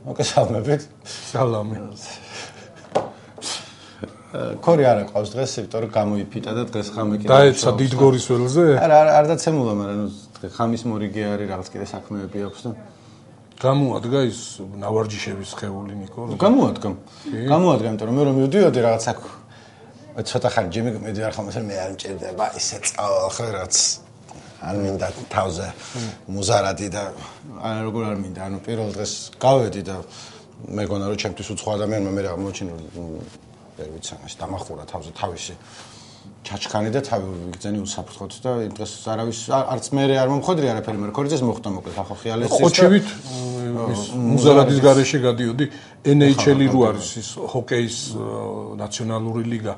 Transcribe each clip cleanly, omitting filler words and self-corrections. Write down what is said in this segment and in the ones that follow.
მოგესალმებით. სალამი. ქორი არა ყავს დღეს, იმიტომ რომ გამოიფიტა და დღეს ხამე კიდე. დაეცა დიდგორის ველზე? არ დაცემულა, მაგრამ ხამის მორიგი არის, რაღაც კიდე საქმეები აქვს და გამოადგა ის ნავარჯიშების ხეული ნიკო? გამოადგა, იმიტომ რომ მე რომ მივდიოდი რაღაც აქ ცოტა ხანი ჯიმი მედი არ ხომ მე არ მჭირდება ისე ხო რაც არ მინდა თავზე მუზარადი და როგორ არ მინდა ანუ პირველ დღეს გავედი და მეგონა რომ ჩემთვის უცხო ადამიანმა მე რა მოჩინო ვერ ვიცი ამას დამახურა თავზე თავისი ჩაჩქანი და თავი ვიგზენი უსაფრთხოდ და იმ დღეს არავის არც მე არ მომხდარი არაფერი მაგრამ ქორიძეს მოხდა მოკლედ ახო ხიალეს ის ხოჩივით მუზარადის გარეშე გადიოდი NHL-ი რო არის ის ჰოკეის ნაციონალური ლიგა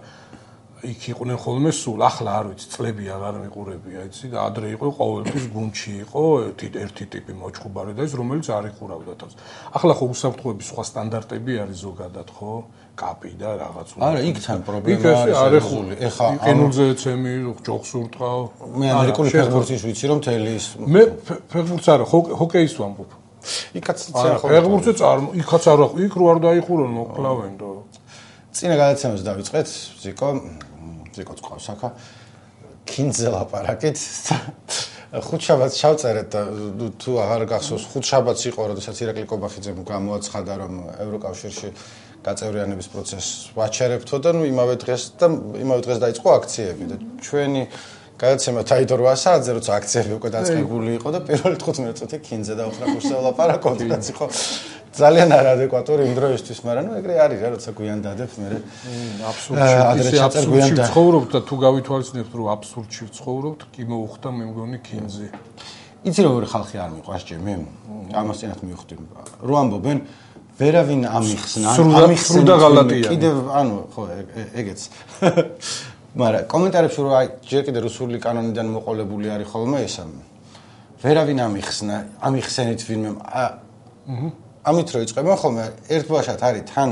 იქ იყვნენ ხოლმე სულ ახლა არ ვიცი წლები აღარ მიყურებია იცი და ადრე იყო ყოველთვის გუნდში იყო ერთი ტიპი მოჭხუბარი და ის რომელიც არ იყურავდა თავს ახლა ხო უსაფრთხოების სხვა სტანდარტები არის ზოგადად ხო კაპი და რაღაც არა იქ თან პრობლემა არის ეხა ყინულზე ეცემი ჯოხს ურტყავ მე ამერიკული ფეხბურთის ვიცი რომ თელი ის მე ფეხბურთს არა ჰოკეის ვამბობ იქაც ფეხბურთზე იქაც არა იქ რო არ დაიხურონ მოკლავენ და წინა გადაცემას დავიწყეთ ზიკოც ყავს ახლა კინძზე ლაპარაკით ხუთშაბათს ჩავწერეთ და თუ აღარ გახსოვს ხუთშაბათს იყო როდესაც ირაკლი კობახიძემ გამოაცხადა რომ ევროკავშირში გაწევრიანების პროცესს ვაჩერებთო და იმავე დღეს დაიწყო აქციები და ჩვენი გადაცემა დაიდო 8 საათზე როცა აქციები უკვე დაწყებული იყო და პირველი 15 წუთი კინძზე დავხრახურსა ლაპარაკობდი რაც იყო ძალიან არადეკვატური იმ დროისთვის, მაგრამ ნუ ეგრე არის რა, როცა გვიან დადებ მე. აბსურდში ცხოვრობთ და თუ გავითვალისწინებთ, რომ აბსურდში ცხოვრობთ, კი მოუხდა მე მგონი კინძი. იცი როგორი ხალხი არ მიყვარს ჯემი? ამას წინათ მივხვდი. რო ამბობენ, ვერავინ ამიხსნა, სრუდა ღალატია. კიდევ ანუ ხო ეგეც. მაგრამ კომენტარებში რო აი ჯერ კიდე რუსული კანონიდან მოყოლებული არის ხოლმე ესა. ვერავინ ამიხსნა, ამიხსენით ვინმე ამით რო იწყებენ ხოლმე ერთბაშად არის თან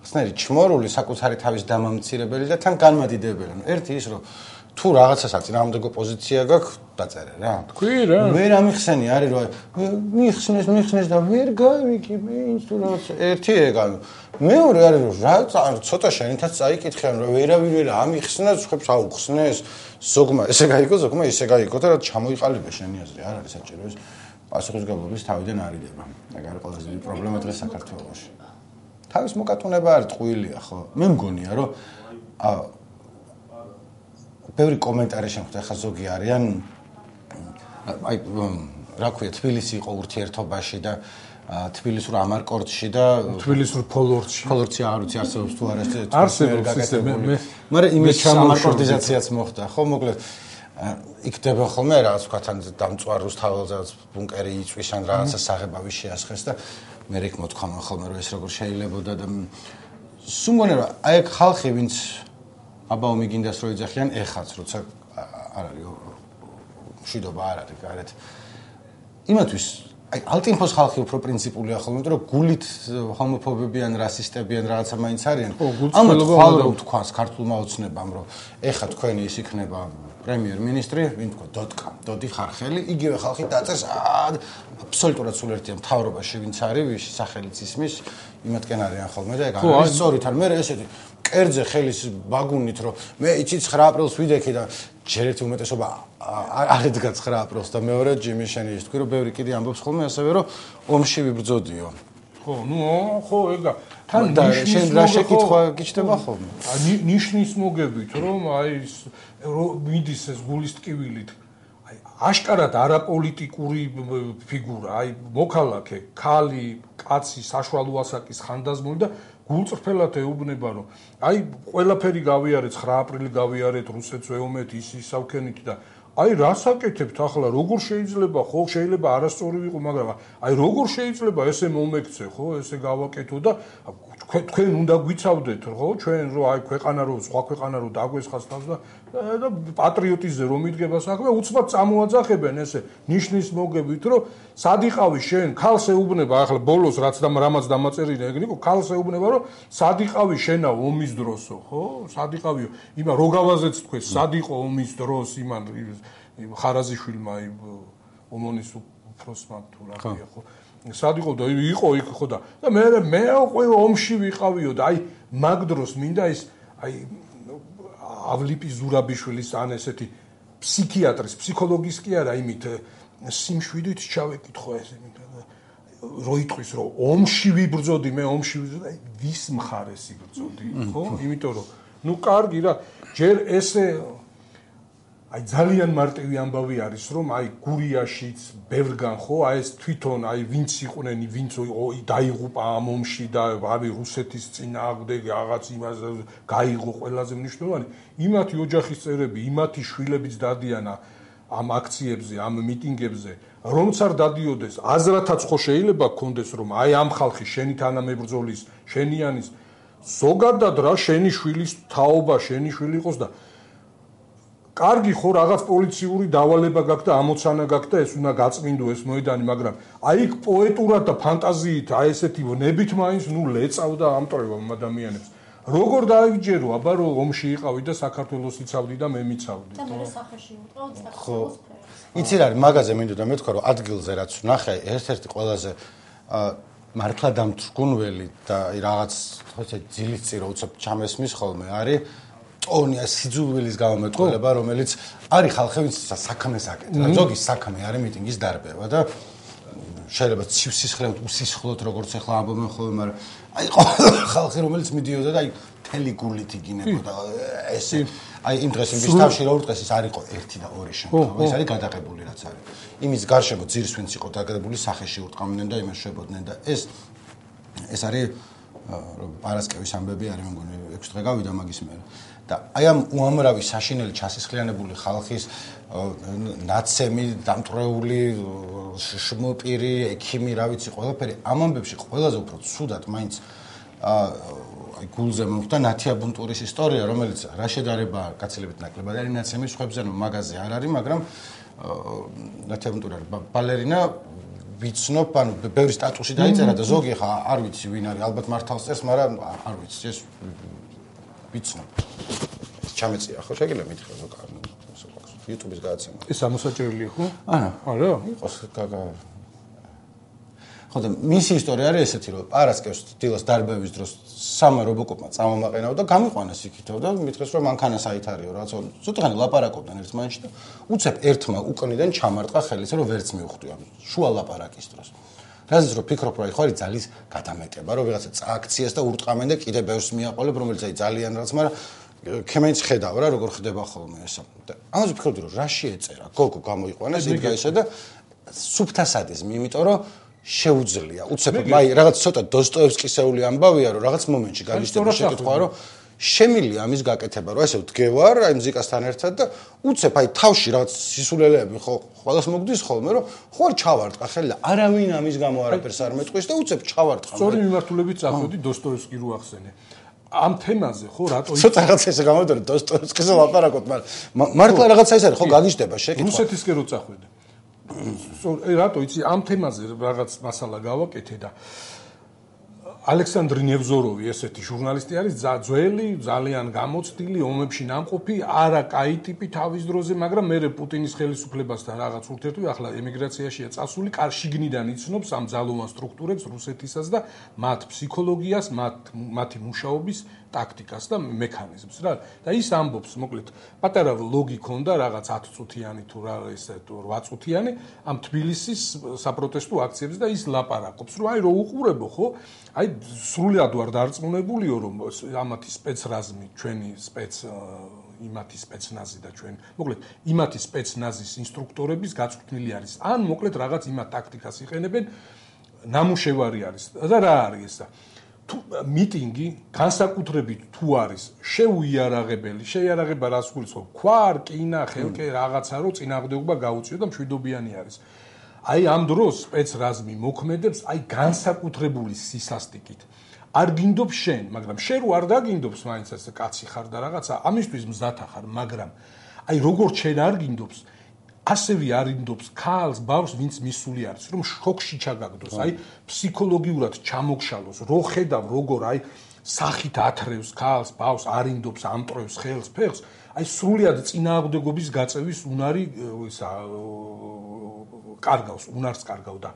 ხსნერი ჩმორული საკუთარი თავის დამამცირებელი და თან განმადიდებელი. ერთი ის რომ თუ რაღაცას აწინააღმდეგო პოზიცია გაქვს დაწერე რა. თქვი რა. ვერ ამიხსენი არის რომ მიხსნეს და ვერ გავიკი მე ის თუ რაღაც ერთი ეგ ანუ მეორე არის რომ რა ცოტა შენითაც წაიკითხიან რომ ვერავინ ვერ ამიხსნას ხებს აუხსნეს ზოგმა ესე გაიგო ზოგმა ისე გაიგო და რა ჩამოიყალიბე შენი აზრი არ არის საჭირო ეს პასუხისგებლობის თავიდან არიდება. ეგ არის ყველაზე დიდი პრობლემა დღეს საქართველოში. თავის მოკატუნება არის ტყუილია, ხო? მე მგონია, რომ ბევრი კომენტარი შემხვდა, ხა ზოგი არიან აი რა ქვია, თბილისი იყო ურთიერთობაში და თბილისურ ამარკორტში და თბილისურ ფოლორტში. ფოლორტში არ ვიცი არსებობს თუ არა ეს არსებობს მაგრამ იმის ამარკორტიზაციაც მოხდა, ხო? მოკლედ იქნება ხოლმე რაღაც ვთქვათ დამწვარ რუსთაველზეც ბუნკერი იწვის ან რაღაცა საღებავი შეასხეს და მე რეკ მოთქვამენ ხოლმე რომ ეს როგორ შეიძლებოდა და სულ მგონია აი ეგ ხალხი ვინც აბა ომიგინდას რო იძახიან ეხაც როცა არ არის მშვიდობა არ არის გარეთ იმათვის აი ალტინფოს ხალხი უფრო პრინციპულია ხოლმე იმიტომ რომ გულით ჰომოფობები ან რასისტები ან რაღაცა მაინც არიან ამათ ხვალ რომ თქვას ქართულმა ოცნებამ რომ ეხა თქვენი ის იქნება პრემიერ-მინისტრი, ვინ თქვა დოდი ხარხელი, იგივე ხალხი დაწერს აბსოლუტურად სულ ერთია მთავრობაში ვინც არის, ვისი სახელიც ისმის, იმათკენ არიან ხოლმე და ეგ არის სწორით არ მე ესეთი კერძე ხელის ბაგუნით რომ მე იცი 9 აპრილს ვიდექი და ჯერ ერთი უმეტესობა არ ედგა 9 აპრილს და მეორე ჯიმი შენი ის თქვი რომ ბევრი კიდე ამბობს ხოლმე ასევე რომ ომში ვიბრძოდიო. ხო, ნუ ხო ეგა თან შენ რა შეკითხვა გიჩნდება ხოლმე? ნიშნის მოგებით რომ აი მიდის ეს გულის ტკივილით აი აშკარად არაპოლიტიკური ფიგურა აი მოქალაქე ქალი კაცი საშუალო ასაკის ხანდაზმული და გულწრფელად ეუბნება რომ აი ყველაფერი გავიარეთ 9 აპრილი გავიარეთ რუსეთს ვეომეთ ის ისავქენით და აი რას აკეთებთ ახლა როგორ შეიძლება ხო შეიძლება არასწორი ვიყო მაგრამ აი როგორ შეიძლება ესე მომექცე ხო ესე გავაკეთო და თქვენ უნდა გვიცავდეთ ხო ჩვენ რო აი ქვეყანა რო სხვა ქვეყანა რო დაგვესხას თავს და პატრიოტიზმზე რომ იდგება საქმე უცბად წამოაძახებენ ესე ნიშნის მოგებით რომ სად იყავი შენ ქალს ეუბნება ახლა ბოლოს რაც რამაც დამაწერილი ეგნიკო ქალს ეუბნება რომ სად იყავი შენა ომის დროსო ხო სად იყავიო იმა რო გავაზეც თქვენ სად იყო ომის დროს იმან ხარაზიშვილმა ომონის უფროსმა თუ რა ქვია ხო სად იყო და იყო იქ ხო და მე უკვე ომში ვიყავიო და აი მაგ დროს მინდა ის აი ავლიპი ზურაბიშვილის ან ესეთი ფსიქიატრის ფსიქოლოგის კი არა იმით სიმშვიდით ჩავეკითხო ეს მინდა რო იტყვის რომ ომში ვიბრძოდი მე ომში ვიბრძოდი აი ვის მხარეს იბრძოდი ხო იმიტომ რომ ნუ კარგი რა ჯერ ესე აი ძალიან მარტივი ამბავი არის რომ აი გურიაშიც ბევრგან ხო აი ეს თვითონ აი ვინც იყვნენ ვინც დაიღუპა ამ ომში და ავი რუსეთის წინააღმდეგ რაღაც იმას გაიღო ყველაზე მნიშვნელოვანი იმათი ოჯახის წევრები იმათი შვილებიც დადიან ამ აქციებზე ამ მიტინგებზე რომც არ დადიოდეს აზრათაც ხო შეიძლება გქონდეს რომ აი ამ ხალხი შენი თანამებრძოლის შენიანის ზოგადად რა შენი შვილის თაობა შენი შვილი იყოს და კარგი ხო რაღაც პოლიციური დავალება გაქვს და ამოცანა გაქვს და ეს უნდა გაწმინდო ეს მოედანი მაგრამ აი იქ პოეტურად და ფანტაზიით აი ესეთი ნებით მაინც ნუ ლეწავდა ამტრევა ადამიანებს როგორ დაიგჯერო აბა რომ ომში იყავი და საქართველოს იცავდი და მე მიცავდი და მე სახეში ვიყავ საქართველოს იცი რა მაგაზე მინდოდა მეთქვა რომ ადგილზე რაც ვნახე ერთ-ერთი ყველაზე მართლა დამთრგუნველი და რაღაც ხოთე ძილის წირო უცებ ჩამესმის ხოლმე არის ტონია სიძულვილის გამომეტყველება რომელიც არის ხალხი ვინც საქმეს აკეთებს ზოგი საქმე არის მიტინგის დარბევა და შეიძლება ცივსისხლეთ უსისხლოთ როგორც ახლა ამბობენ ხოლმე მაგრამ აი ხალხი რომელიც მიდიოდა და აი მთელი გულით იგინებოდა ესე აი იმ დღეს იმის თავში რო ურტყეს ის არისო 1 და 2 შემთხვევა ეს არის გადაღებული რაც არის იმის გარშემო ძირს ვინც იყო დაგადებული სახეში ურტყამდნენ და იმაშებოდნენ და ეს არის პარასკევის ამბები არის მე მგონი 6 დღე გავიდა მაგის მერე და აი ამ უამრავი საშინელი ჩასისხლიანებული ხალხის ნაცემი დამტრეული შმოპირი ექიმი რა ვიცი ყველაფერი ამ ამბებში ყველაზე უფრო ცუდად მაინც აი გულზე მომხდა ნათია ბუნტურის ისტორია რომელიც რა შედარება გაცილებით ნაკლებად არის ნაცემის ხვებზე მაგაზე არ არის მაგრამ ნათია ბუნტური არის ბალერინა ვიცნობ ანუ ბევრი სტატუსი დაიწერა და ზოგი ხა არ ვიცი ვინ არის ალბათ მართავს წერს მაგრამ არ ვიცი ეს ვიცნობ ჩამეწია ხო შეგიძლია მითხრა YouTube-ის გადაცემა ეს ამოსაჭრელია ხო არა იყოს ხო და მისი ისტორია არის ესეთი რომ პარასკევს დილას დარბევის დროს სამა რობოკოპმა წამომაყენაო და გამიყვანეს იქითო და მითხრეს რომ მანქანა საითარიო რაც ცოტაღანი ლაპარაკობდნენ ერთმანეთში და უცებ ერთმა უკნიდან ჩამარტყა ხელის რომ ვერც მიუხვდი ამ შუა ლაპარაკის დროს რაზეც რომ ფიქრობ რა ხო არის ძალის გადამეტება რომ ვიღაცა წააქციეს და ურტყამენ და კიდე ბევრს მიაყოლებ რომელიც აი ძალიან რაც მაგრამ ქემენც ხედავ რა როგორ ხდება ხოლმე ესა და ამაზე ვფიქრობდი რომ რა შეეწერა გოგო გამოიყვანეს იდგა ისე და სუფთა სადიზმი იმიტომ რომ შეუძლია უცებ აი რაღაც ცოტა დოსტოევსკისეული ამბავია რომ რაღაც მომენტში გაგიჩნდება შეკითხვა რომ შემილია ამის გაკეთება რომ ესე ვდგევარ აი მუსიკასთან ერთად და უცებ აი თავში რაღაც სისულელეები ხო ყველას მოგდის ხოლმე რომ ხო არ ჩავარტყა ხელი და არავინ ამის გამო არაფერს არ მეტყვის და უცებ ჩავარტყა სწორი მიმართულებით წახვედი დოსტოევსკი რო ახსენე ამ თემაზე ხო რატო ცოტა რაღაც ესე გამოდორე დოსტოევსკიზე ლაპარაკობ მაგრამ მართლა რაღაცა ის არის ხო გაგიჩნდება შეკითხვა რუსეთისკენ რო წახვედი რატო იცი ამ თემაზე რაღაც მასალა გავაკეთე და ალექსანდრე ნევზოროვი ესეთი ჟურნალისტი არის ძველი ძალიან გამოცდილი ომებში ნამყოფი არა კაი ტიპი თავის დროზე მაგრამ მე პუტინის ხელისუფლებასთან რაღაც ურთიერთობი ახლა ემიგრაციაშია წასული შიგნიდან იცნობს ამ ძალოვან სტრუქტურებს რუსეთისას და მათ ფსიქოლოგიას მათი მუშაობის ტაქტიკას და მექანიზმს რა და ის ამბობს მოკლედ პატარა ლოგი ქონდა რაღაც 10 წუთიანი თუ რა ესე 8 წუთიანი ამ თბილისის საპროტესტო აქციებზე და ის ლაპარაკობს რომ აი რო უყურებო ხო აი სრულად ვარ დარწმუნებულიო რომ ამათი სპეცრაზმი ჩვენი იმათი სპეცნაზი და ჩვენ მოკლედ იმათი სპეცნაზის ინსტრუქტორების გაწვრთნილი არის ან მოკლედ რაღაც იმათ ტაქტიკას იყენებენ ნამუშევარი არის და რა არის ესა თუ მიტინგი განსაკუთრებით თუ არის შეუიარაღებელი შეიარაღება რას გულისხმობს ქვა რკინა ხელკე რაღაცა რო წინააღმდეგობა გაუწიო და მშვიდობიანი არის აი ამ დროს სპეცრაზმი მოქმედებს აი განსაკუთრებული სისასტიკით არ გინდობს შენ მაგრამ შენ რო არ დაგინდობს მაინც ეს კაცი ხარ და რაღაცა ამისთვის მზათა ხარ მაგრამ აი როგორც შენ არ გინდობს ასევე არინდობს ქალს ბავშვს ვინც მისული არის რომ შოქში ჩაგაგდოს აი ფსიქოლოგიურად ჩამოგშალოს რო ხედავ როგორ აი სახით ათრევს ქალს ბავშვს არინდობს ამტრევს ხელს ფეხს აი სრულად წინააღმდეგობის გაწევის უნარი ისა კარგავს უნარს კარგავ და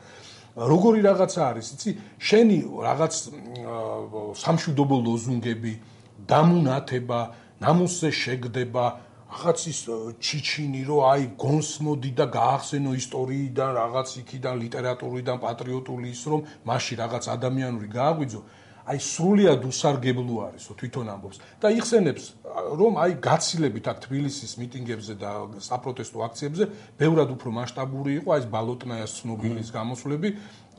როგორი რაღაცა არის, იცი, შენი რაღაც სამშვიდობო ლოზუნგები, დამუნათება, ნამუსზე შეგდება, რაღაც ის ჩიჩინი, რომ აი გონსმოდი და გაახსენო ისტორიიდან, რაღაც იქიდან, ლიტერატურიდან, პატრიოტული ის, რომ მასში რაღაც ადამიანური გააღვიძო, აი სრულიად უსარგებლო არისო, თვითონ ამბობს და იხსენებს, რომ აი გაცილებით აქ თბილისის მიტინგებზე და საპროტესტო აქციებზე ბევრად უფრო მასშტაბური იყო აი ეს ბალოტნაიას ცნობილის გამოსვლები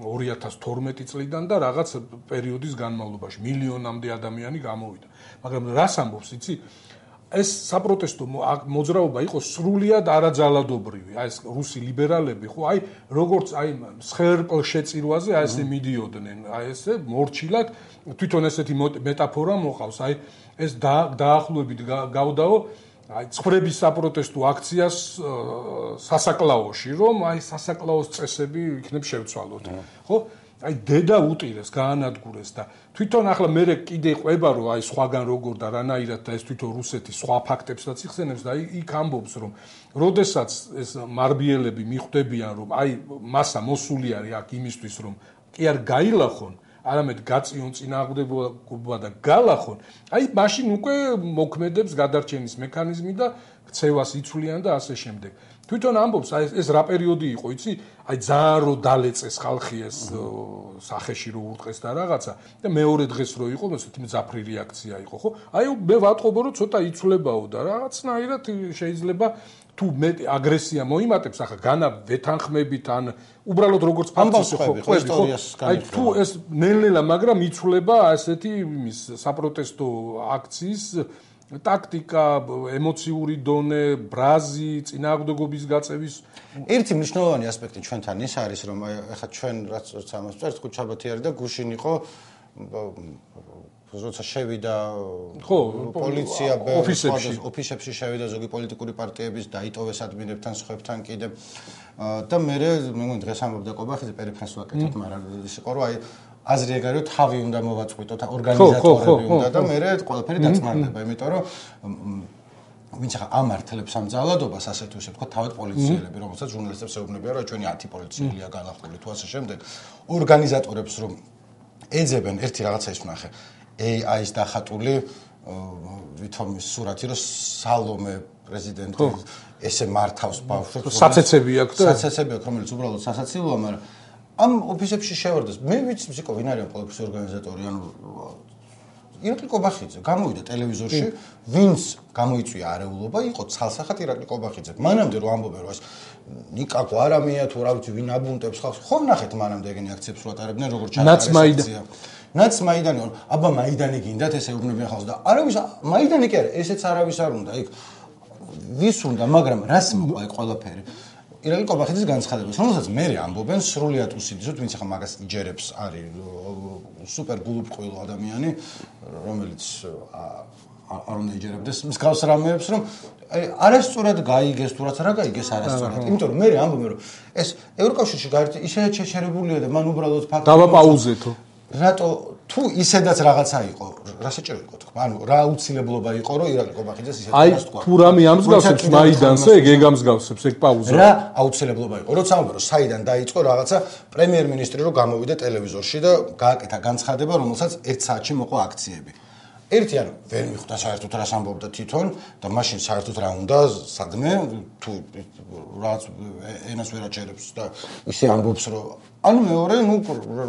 2012 წლიდან და რაღაც პერიოდის განმავლობაში მილიონამდე ადამიანი გამოვიდა. მაგრამ რას ამბობს, იცი? ეს საპროტესტო მოძრაობა იყო სრულიად არაძალადობრივი. აი ეს რუსი ლიბერალები ხო აი როგორც აი მსხერპლშეწირვაზე აი ესე მიდიოდნენ, აი ესე მორჩილად თვითონ ესეთი მეტაფორა მოყავს. აი ეს დაახლოებით გავდაო აი ცხრების საპროტესტო აქციას სასაკლაოში, რომ აი სასაკლაოს წესები იქნებ შევცვალოთ. ხო? აი დედა უტირეს, გაანადგურეს და თვითონ ახლა მე კიდე ყვება რომ აი სხვაგან როგორ და რანაირად და ეს თვითონ რუსეთის სხვა ფაქტებსაც იხსენებს და იქ ამბობს რომ როდესაც ეს მარბიელები მიხვდებიან რომ აი მასა მოსული არის აქ იმისთვის რომ კი არ გაილახონ არამედ გაწიონ წინააღმდეგობა და გალახონ აი მაშინ უკვე მოქმედებს გადარჩენის მექანიზმი და ქცევას იცვლიან და ასე შემდეგ თვითონ ამბობს აი ეს რა პერიოდი იყო იცი აი ძალიან რო დალეწეს ხალხი ეს სახეში რო ურტყეს და რაღაცა და მეორე დღეს რო იყო ესეთი მძაფრი რეაქცია იყო ხო აი მე ვატყობო რომ ცოტა იცვლებაო და რაღაცნაირად შეიძლება თუ მე აგრესია მოიმატებს ახლა განა ვეთანხმებით ან უბრალოდ როგორც ფაქტი ხო ისტორიას აი თუ ეს ნელ-ნელა მაგრამ იცვლება ასეთი იმის საპროტესტო აქციის ტაქტიკა, ემოციური დონე, ბრაზი, წინააღმდეგობის გაწევის ერთი მნიშვნელოვანი ასპექტი ჩვენთან ის არის, რომ ახლა ჩვენ რაც ამას წერთ, ხუთშაბათი არის და გუშინ იყო როცა შევიდა ხო, პოლიცია ოფისებში შევიდა ზოგი პოლიტიკური პარტიების დაიტოვეს ადმინებთან, სხვებთან კიდე და მე მეგონი დღეს ამბობდა კობახიძე პერიფრენს ვაკეთებ, მაგრამ ის იყო რომ აი აზრი ეგ არის თავი უნდა მოვაწყვიტოთ ორგანიზატორები უნდა და მე ყველაფერი დაწმარდება იმიტომ რომ ვინც ახლა ამართლებს ამ ძალადობას ასეთ უშე თქვა თავად პოლიციელები რომელსაც ჟურნალისტებს ეუბნებიან რომ ჩვენი 10 პოლიციელია განახლული თუ ასე შემდეგ ორგანიზატორებს რომ ეძებენ ერთი რაღაცა ის ვნახე AI-ის დახატული ვითომის სურათი რომ სალომე პრეზიდენტი ესე მართავს ბავშვებს საცეცები აქვს და საცეცები აქვს რომელიც უბრალოდ სასაცილოა მაგრამ ამ ოფისებში შევარდეს მე ვიცი მუსიკო ვინ არის პოლიტიკის ორგანიზატორი ანუ ირაკლი კობახიძე გამოვიდა ტელევიზორში ვინც გამოიწვია არეულობა იყო ცალსახად ირაკლი კობახიძე მანამდე რომ ამბობენ რომ ეს ნიკა გვარამია თუ რა ვიცი ვინ აბუნტებს ხალხს ხომ ნახეთ მანამდე ეგენი აქციებს რო ატარებდნენ როგორ ჩატარეს ნაცმაიდანი აბა მაიდანი გინდათ ესე ეუბნებიან ხალხს და არავის მაიდანი კი არა ესეც არავის არ უნდა იქ ვის უნდა მაგრამ რას მოყვა ეგ ყველაფერი ირაკლი კობახიძის განცხადებას, რომელსაც მე ამბობენ სრულიად უსინდისოდ, ვინც ახლა მაგას იჯერებს, არის სუპერ გულუბრყვილო ადამიანი, რომელიც არ უნდა იჯერებდეს მსგავს რამეებს, რომ არასწორად გაიგეს თუ რაც რა გაიგეს არასწორად. იმიტომ რომ მე ამბობენ, რომ ეს ევროკავშირში გაერთი ისედაც შეჩერებულია და მან უბრალოდ ფაქტი დავაპაუზეთო. რატო თუ ისედაც რაღაცა იყო, რა საჭირო იყო თქვა? ანუ რა აუცილებლობა იყო, რომ ირაკლი კობახიძეს ისეთ რას თქვა? აი, თუ რამე ამსგავსებს მაიდანზე, ეგ ამსგავსებს, ეგ პაუზა. რა აუცილებლობა იყო? როცა ამბობ, რომ საიდან დაიწყო რაღაცა პრემიერ-მინისტრი რომ გამოვიდა ტელევიზორში და გააკეთა განცხადება, რომელსაც 1 საათში მოყვა აქციები. ერთი ანუ ვერ მიხვდა საერთოდ რას ამბობდა თვითონ და მაშინ საერთოდ რა უნდა სადმე თუ რაც ენას ვერ აჭერებს და ისე ამბობს რომ ანუ მეორე ნუ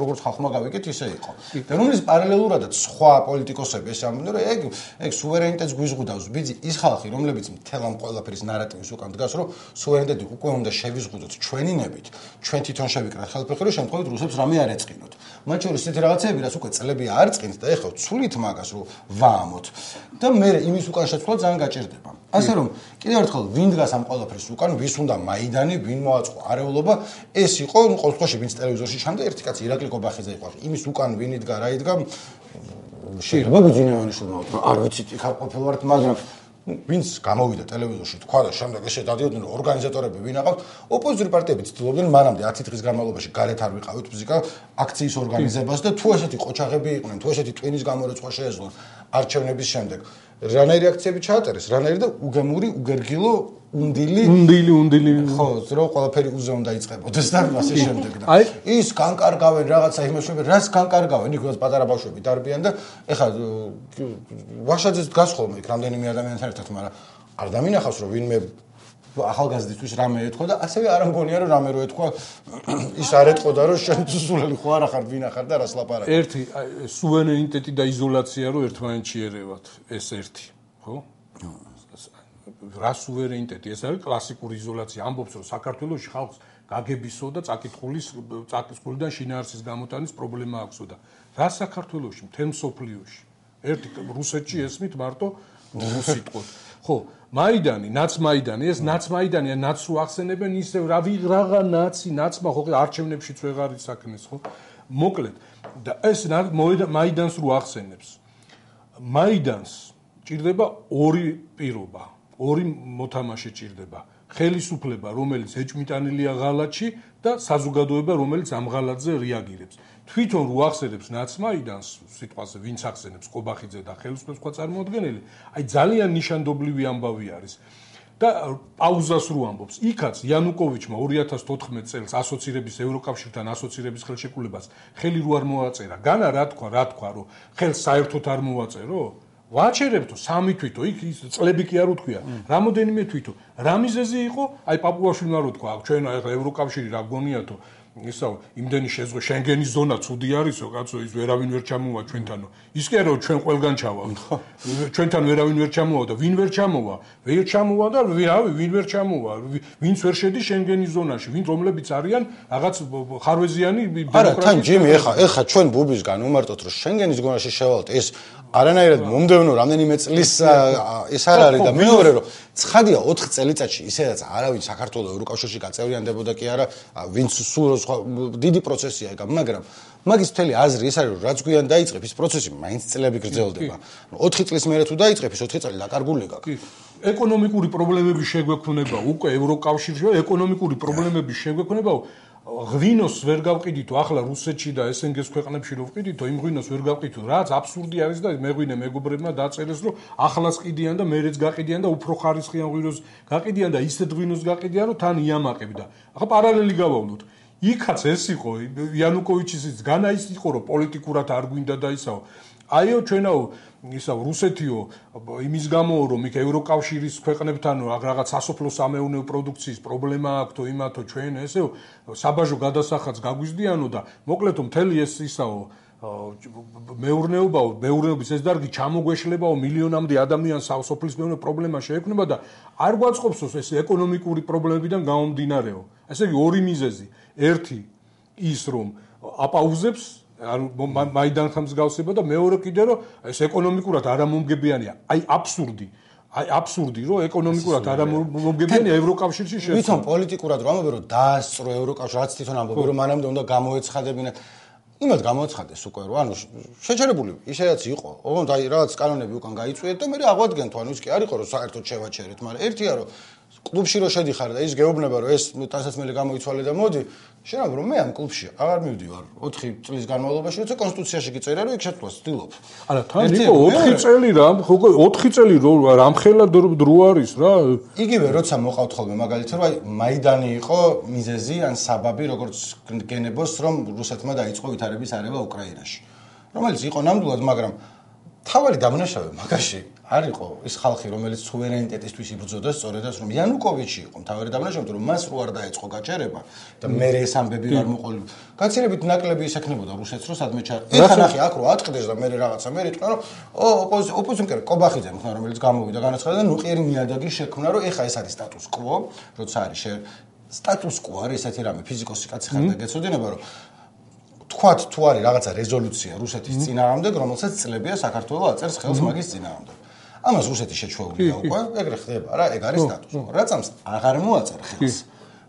როგორც ხალხმა გავიგეთ ისე იყო და რომელიც პარალელურადაც სხვა პოლიტიკოსები ესე ამბობდნენ რომ ეგ სუვერენიტეტს გვიზღუდავს ბიძი ის ხალხი რომლებიც მთელ ამ ყველაფრის ნარატივის უკან დგას რომ სუვერენიტეტი უკვე უნდა შევიზღუდოთ ჩვენი ნებით ჩვენ თვითონ შევიკრათ ხელფეხი რომ შემთხვევით რუსებს რამე არ ეწყინოთ მათ შორის ისეთი რაღაცები რაც უკვე წლები არ წინთ და ეხლა ცულით მაგას რომ ვაამოთ და მე იმის უკან შეცვლა ძალიან გაჭირდება ასე რომ კიდევ ერთხელ ვინ დგას ამ ყველაფრის უკან ვის უნდა მაიდანი ვინ მოაწყო არეულობა ეს იყო ნუ ყოველ შემთხვევაში ვინც ტელევიზორში ჩანდა ერთი კაცი ირაკლი კობახიძე იყო იმის უკან ვინ იდგა რა იდგა შეიძლება ბიძინევანიშვილმა არ ვიცით იქ არ ყოფილვართ მაგრამ ვინც გამოვიდა ტელევიზორში თქვა და შემდეგ ესე დადიოდნენ რომ ორგანიზატორები ვინ აყავთ ოპოზიციური პარტიები ცდილობდნენ მანამდე 10 დღის განმავლობაში გარეთ არ ვიყავით ფიზიკა აქციის ორგანიზებას და თუ ესეთი ყოჩაღები იყვნენ თუ ესეთი ტვინის გამორეცხვა შეეძლოთ არჩევნების შემდეგ. რანაირი აქციები ჩააწერეს, რანაირი და უგემური, უგერგილო, უნდილი. ხო, რომ ყველაფერი უზე უნდა იწყებოდეს და ასე შემდეგ და ის განკარგავენ რაღაცა იმაშები, რას განკარგავენ, იქ პატარა ბავშვები დარბიან და ეხლა ვაშაძეს დგას ხოლმე იქ რამდენიმე ადამიანთან ერთად, მაგრამ არ დამინახავს რომ ვინმე ახალგაზრდისთვის რამე ეთქვა და ასევე არ მგონია რომ რამე რო ეთქვა ის არ ეთქოდა რომ შენ სულელი ხო არ ახარ ვინ ახარ და რას ლაპარაკობ. ერთი სუვერენიტეტი და იზოლაცია რო ერთმანეთში ერევათ ეს ერთი, ხო? რა სუვერენიტეტი ეს არის კლასიკური იზოლაცია ამბობს რომ საქართველოში ხალხს გაგებისო და წაკისკულიდან შინაარსის გამოტანის პრობლემა აქვსო და რა საქართველოში მთელ მსოფლიოში ერთი რუსეთში ესმით მარტო სიტყვით ხო მაიდანი ნაცმაიდანი ეს ნაცმაიდანია ნაცს რო ახსენებენ ისევ რა ვიღრაღა ნაცმა ხო არჩევნებშიც ვეღარ ისაკნეს ხო მოკლედ და ეს მაიდანს რო ახსენებს მაიდანს ჭირდება ორი პირობა ორი მოთამაშე ჭირდება ხელისუფლება რომელიც ეჭმიტანილია ღალატში და საზოგადოება რომელიც ამ ღალატზე რეაგირებს თვითონ რო ახსენებს ნაცმაიდანს სიტყვაზე ვინც ახსენებს ყობახიძე და ხელისუფლების სხვა წარმოადგენელი აი ძალიან ნიშანდობლივი ამბავი არის და პაუზას რო ამბობს იქაც იანუკოვიჩმა 2014 წელს ასოცირების ევროკავშირთან ასოცირების ხელშეკრულებას ხელი რო არ მოაწერა განა რა თქვა რომ ხელს საერთოდ არ მოაწერო ვაჩერებთო სამი თვითო იქ ის წლები კი არ უთქვია რამოდენიმე თვითო რა მიზეზი იყო აი პაპუაშვილმა რო თქვა ჩვენ ახლა ევროკავშირი რა გონიათო ისა იმდენი შეზღვა შენგენის ზონა ცუდი არისო კაცო ის ვერავინ ვერ ჩამოვა ჩვენთანო ის კი არა ჩვენ ყველგან ჩავავთ ჩვენთან ვერავინ ვერ ჩამოვა და ვინ ვერ ჩამოვა ვერ ჩამოვა და ვინ ვერ ჩამოვა ვინც ვერ შედის შენგენის ზონაში ვინ რომლებიც არიან რაღაც ხარვეზიანი არა თან ჯიმი ეხა ჩვენ ბუბისგან უმარტოთ რომ შენგენის ზონაში შევალთ ეს არანაირად მომდევნო რამდენიმე წლის ეს არ არის და მეორე რომ ცხადია 4 წელიწადში ისედაც არავინ საქართველოს ევროკავშირში გაწევრიანდებოდა კი არა ვინც სულ დიდი პროცესია ეგ მაგრამ მაგის მთელი აზრი ეს არის რომ რაც გვიან დაიწყებს ის პროცესი მაინც წლები გრძელდება 4 წლის მერე თუ დაიწყებს 4 წელი დაკარგული გაქვს ეკონომიკური პრობლემების შეგვექმნება უკვე ევროკავშირში ეკონომიკური პრობლემების შეგვექმნება ღვინოს ვერ გავყიდითო ახლა რუსეთში და SNG-ს ქვეყნებში რო ვყიდითო იმ ღვინოს ვერ გავყიდითო რაც აბსურდი არის და მეღვინე მეგობრებმა დაწერეს რომ ახლას ყიდიან და მერეც გაყიდიან და უფრო ხარისხიან ღვინოს გაყიდიან და ისეთ ღვინოს გაყიდიან რომ თან იამაყებდა ახლა პარალელი გავავლოთ იქაც ეს იყო იანუკოვიჩის განა ის იყო რომ პოლიტიკურად არ გვინდა და ისაო აიო ჩვენაო ისა რუსეთიო იმის გამო რომ იქ ევროკავშირის ქვეყნებთან რაღაც სასოფლო სამეურნეო პროდუქციის პრობლემა აქვს თო იმათო ჩვენ ესეო საბაჟო გადასახადს გაგვიზდიანო და მოკლედ მთელი ეს ისაო მეურნეობის ეს დარგი ჩამოგვეშლებაო მილიონამდე ადამიანს სასოფლის მეურნეო პრობლემა შეექმნება და არ გვაწყობსო ეს ეკონომიკური პრობლემებიდან გამომდინარეო ესე იგი ორი მიზეზი ერთი ის რომ აპაუზებს მაიდანთან მსგავსება და მეორე კიდე რომ ეს ეკონომიკურად არამომგებიანია აი აბსურდი რომ ეკონომიკურად არამომგებიანია ევროკავშირში შეცვალა თვითონ პოლიტიკურად რომ ამბობენ რომ დაასწრო ევროკავშირი რაც თვითონ ამბობენ რომ მანამდე უნდა გამოეცხადებინათ იმად გამოეცხადეს უკვე რომ ანუ შეჩერებული ისედაც იყო ოღონდ აი რაღაც კანონები უკან გაიწვიეთ და მე აღვადგენთ ანუ ის კი არ იყო რომ საერთოდ შევაჩერეთ მაგრამ ერთია რომ კლუბში რო შედიხარ და ის გეუბნება რომ ეს ტანსაცმელი გამოიცვალე და მოდი შენ რომ მე ამ კლუბში აღარ მივდივარ 4 წლის განმავლობაში როცა კონსტიტუციაში კი წერია რომ იქ შეცვლას ვცდილობ არა თან იყო 4 წელი რა ხო 4 წელი რამხელა დრო არის რა იგივე როცა მოყავთ ხოლმე მაგალითად რომ აი მაიდანი იყო მიზეზი ან საბაბი როგორც გენებოს რომ რუსეთმა დაიწყო ვითარების არევა უკრაინაში რომელიც იყო ნამდვილად მაგრამ თავარი დამნაშავე მაგაში არ იყო ის ხალხი რომელიც სუვერენიტეტისთვის იბრძოდა სწორედაც რომ იანუკოვიჩი იყო თავარი დამნაშავე რომ მას რო არ დაეწყო გაჭერება და მე ეს ამბები არ მოყოლ გაცილებით ნაკლები ისექნებოდა რუსეთს რომ სადმე ეხა ნახე აქ რო ატყდეს და მე რაღაცა მე რიტყვა რომ ოპოზიციონერი ყობახიძე მხნა რომელიც გამოვიდა განაცხადა და ნუყიერი ნიადაგი შექმნა რომ ეხა ეს არის სტატუს კვო როცა არის სტატუს კვო არის ესეთი რამე ფიზიკოსი კაცი ხარ და გეცოდინება რომ თქვათ თუ არის რაღაცა რეზოლუცია რუსეთის წინააღმდეგ რომელსაც წლებია საქართველოს აწერს ხელს მაგის წინააღმდეგ ამას რუსეთი შეჩვეულია უკვე ეგრე ხდება რა ეგ არის სტატუსი რაც ამს აღარ მოაწერ ხელს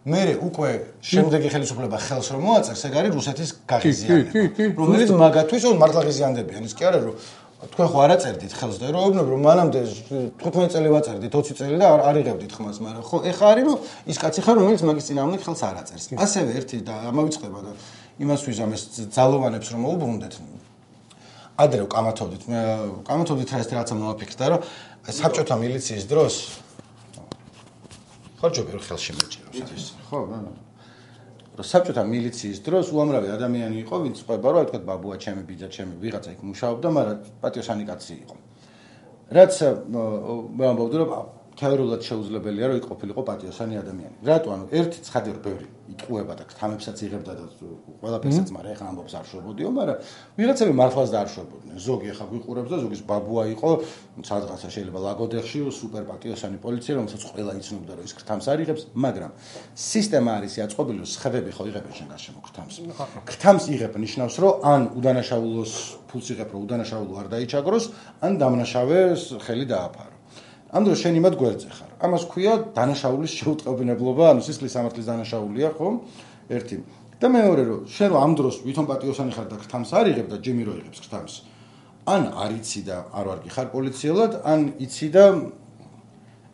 მე უკვე შემდეგი ხელისუფლება ხელს რომ მოაწერს ეგ არის რუსეთის გაღიზიანება რომელიც მაგათთვის მართლა ღიზიანდებიან ის კი არა რომ თქვენ ხო არ აწერდით ხელს და ეუბნებ რომ მანამდე 15 წელი ვაწერდით 20 წელი და არ იღებდით ხმას მაგრამ ხო ეხა არის რომ ის კაცი ხარ რომელიც მაგის წინააღმდეგ ხელს არ აწერს ასევე ერთი და ამავიწყება და იმას ვიზამეს ძალოვანებს რომ მოუბრუნდეთ ადრე კამათობდით რაღაცა მომაფიქრდა, რომ საბჭოთა მილიციის დროს ხარჯობი ხელში მეჭიროს ის. ხო, რომ საბჭოთა მილიციის დროს უამრავი ადამიანი იყო, ვინც ყვება, რომ თქვა ბაბუა ჩემი, ბიძა ჩემი, ვიღაცა იქ მუშაობდა, მაგრამ პატიოსანი კაცი იყო. რაც მე ამბობდი, რომ თეორიულად შეუძლებელია, რომ იყოფილიყო პატიოსანი ადამიანი. რატო? ანუ ერთი ცხადი რო ბევრი იტყუება და თამებსაც იღებდა და ყველაფერსაც, მაგრამ ეხლა ამბობს არ შვებოდიო, მაგრამ ვიღაცები მართლაც და არ შვებოდნენ. ზოგი ეხლა გვიყურებს და ზოგის ბაბუა იყო, სადღაცა შეიძლება ლაგოდეხში სუპერ პატიოსანი პოლიცია, რომელსაც ყველა იცნობდა, რომ ის ქრთამს არ იღებს, მაგრამ სისტემა არის იაწყობილი, რომ სხევები ხო იღებენ შენ გარშემო ქრთამს. ქრთამს იღებ ნიშნავს, რომ ან უდანაშაულოს ფულს იღებ, რომ უდანაშაულო არ დაიჩაგროს, ან დამნაშავეს ხელი დააფარო. ამ დროს შენ იმად გვერდზე ხარ. ამას ქვია დანაშაულის შეუტყობინებლობა, ანუ სისხლის სამართლის დანაშაულია, ხო? ერთი. და მეორე რომ შენ რომ ამ დროს ვითომ პატიოსანი ხარ და ქრთამს არ იღებ და ჯიმი რო იღებს ქრთამს, ან არ იცი და არ ვარ გიხარ პოლიციელად, ან იცი და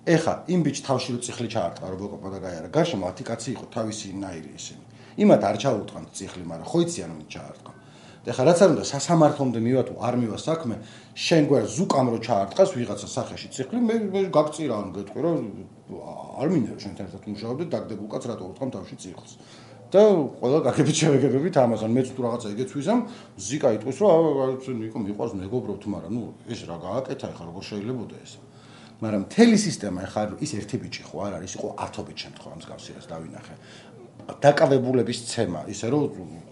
ეხა იმ ბიჭ თავში რო წიხლი ჩაარტყა რობოკოპა და გაიარა. გარშემო 10 კაცი იყო თავისი ნაირი ისინი. იმათ არ ჩაუტყანთ წიხლი, მაგრამ ხო იციან რომ ჩაარტყა. ეხლა რაც არ უნდა სასამართლომდე მივა თუ არ მივა საქმე, შენ გვერდ ზუკამ რო ჩაარტყას ვიღაცა სახეში წიხლი, მე გაგწირა ან გეტყვი რომ არ მინდა რომ შენთან ერთად მუშაობდე, დაგდებულ კაც რატო უთქვამ თავში წიხლს. და ყველა გაგებით შევეგებებით ამას, ან მეც თუ რაღაცა იგეცვიზამ, ზიკა იტყვის რომ იყო მიყვარს მეგობრობთ, მაგრამ ნუ ეს რა გააკეთა ეხლა როგორ შეიძლებოდა ეს. მაგრამ მთელი სისტემა ეხლა ის ერთი ბიჭი ხო არ არის, იყო 10 ბიჭი შემთხვევა მსგავსებას დავინახე. დაკავებულების ცემა, ისე რომ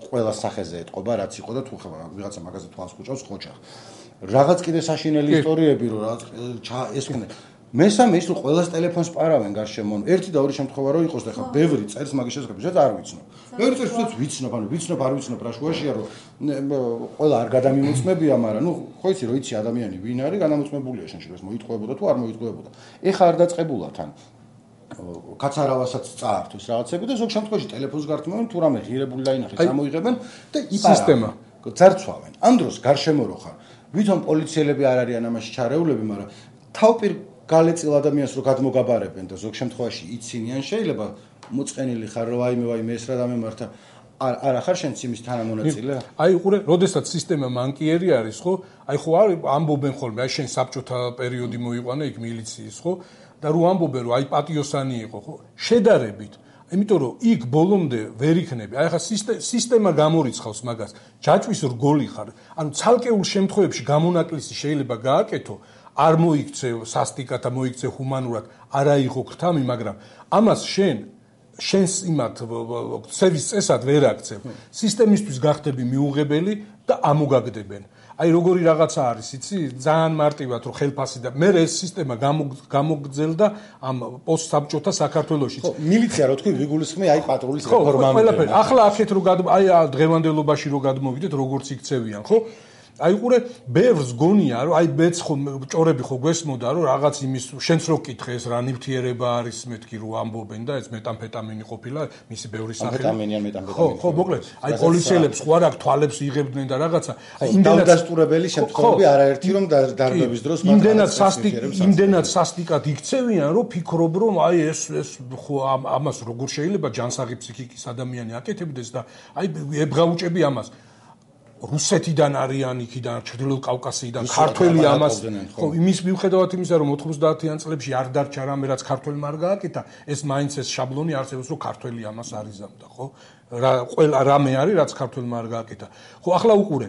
ყველა სახეზე ეტყობა, რაც იყო და თუ ხება ვიღაცა მაგაზე თვალს ხუჭავს, ხოჭა. რაღაც კიდე საშინელი ისტორიები, რომ რაღაც ეს მესამე ის რომ ყველას ტელეფონს პარავენ გარშემო. ერთი და ორი შემთხვევა რო იყოს და ხა ბევრი წერს მაგის შესახებ, შეც არ ვიცნობ. ბევრი წერს შეც ვიცნობ, ანუ ვიცნობ, არ ვიცნობ რა შუაშია, რომ ყველა არ გადამიმოწმებია, მაგრამ ნუ ხო იცი რომ იცი ადამიანი ვინ არის, განამოწმებულია შენ შეიძლება მოიტყუებოდა თუ არ მოიტყუებოდა. ეხა არ დაწყებულა თან. კაცარავასაც წაართვეს რაღაცები და ზოგ შემთხვევაში ტელეფონს გართმევენ თუ რამე ღირებული დაინახეს ამოიღებენ და სისტემა ძარცვავენ. ამ დროს გარშემო რო ხარ, ვითომ პოლიციელები არ არიან ამაში ჩარეულები, მაგრამ თავპირ გალეწილ ადამიანს რო გადმოგაბარებენ და ზოგ შემთხვევაში იცინიან, შეიძლება მოწყენილი ხარ რომ ვაიმე ეს რა დამემართა არ ახარ შენ იმის თანამონაწილე? აი უყურე, როდესაც სისტემა მანკიერი არის, ხო? აი ხო არ ამბობენ ხოლმე, აი შენ საბჭოთა პერიოდი მოიყვანე იქ მილიციის, ხო? და რო ამბობენ რომ აი პატიოსანი იყო, ხო? შედარებით. იმიტომ რომ იქ ბოლომდე ვერ იქნები. აი ხა სისტემა გამორიცხავს მაგას. ჯაჭვის რგოლი ხარ. ანუ ცალკეულ შემთხვევებში გამონაკლისი შეიძლება გააკეთო, არ მოიქცე სასტიკად და მოიქცე ჰუმანურად, არა იყო ქრთამი, მაგრამ ამას შენს იმათ ცევის წესად ვერ აქცევ. სისტემისთვის გახდები მიუღებელი და ამოგაგდებენ. აი როგორი რაღაცა არის, იცი? ძალიან მარტივად რომ ხელფასი და მე ეს სისტემა გამოგძელდა ამ პოსტსაბჭოთა საქართველოში. ხო, მილიცია რო თქვი ვიგულისხმე აი პატრულის რეფორმა. ხო, ყველაფერი. ახლა აქეთ რო აი დღევანდელობაში რო გადმოვიდეთ, როგორც იქცევიან, ხო? აი უყურე, ბევრს გონია, რომ აი მეც ხო ჭორები ხო გვესმოდა, რომ რაღაც იმის შენც რო კითხე ეს რა ნივთიერება არის, მეთქი რო ამბობენ და ეს მეტამფეტამინი ყოფილა, მისი ბევრი სახელი. მეტამფეტამინი. ხო, მოკლედ, აი პოლიციელებს ხო არ აქვს თვალებს იღებდნენ და რაღაცა. იმდენად დასტურებელი შემთხვევები არაერთი რომ დარბების დროს იმდენად სასტიკად იქცევიან, რომ ფიქრობ, რომ აი ეს ხო ამას როგორ შეიძლება ჯანსაღი ფსიქიკის ადამიანი აკეთებდეს და აი ებღაუჭები ამას. რუსეთიდან არიან იქიდან, ჩრდილოეთ კავკასიიდან, ქართველი ამას, ხო, იმის მიუხედავად იმისა, რომ 90-იან წლებში არ დარჩა რამე, რაც ქართველმა არ გააკეთა, ეს მაინც ეს შაბლონი არსებობს, რომ ქართველი ამას არიზამდა, ხო? ყველა რამე არის, რაც ქართველმა არ გააკეთა. ხო, ახლა უყურე.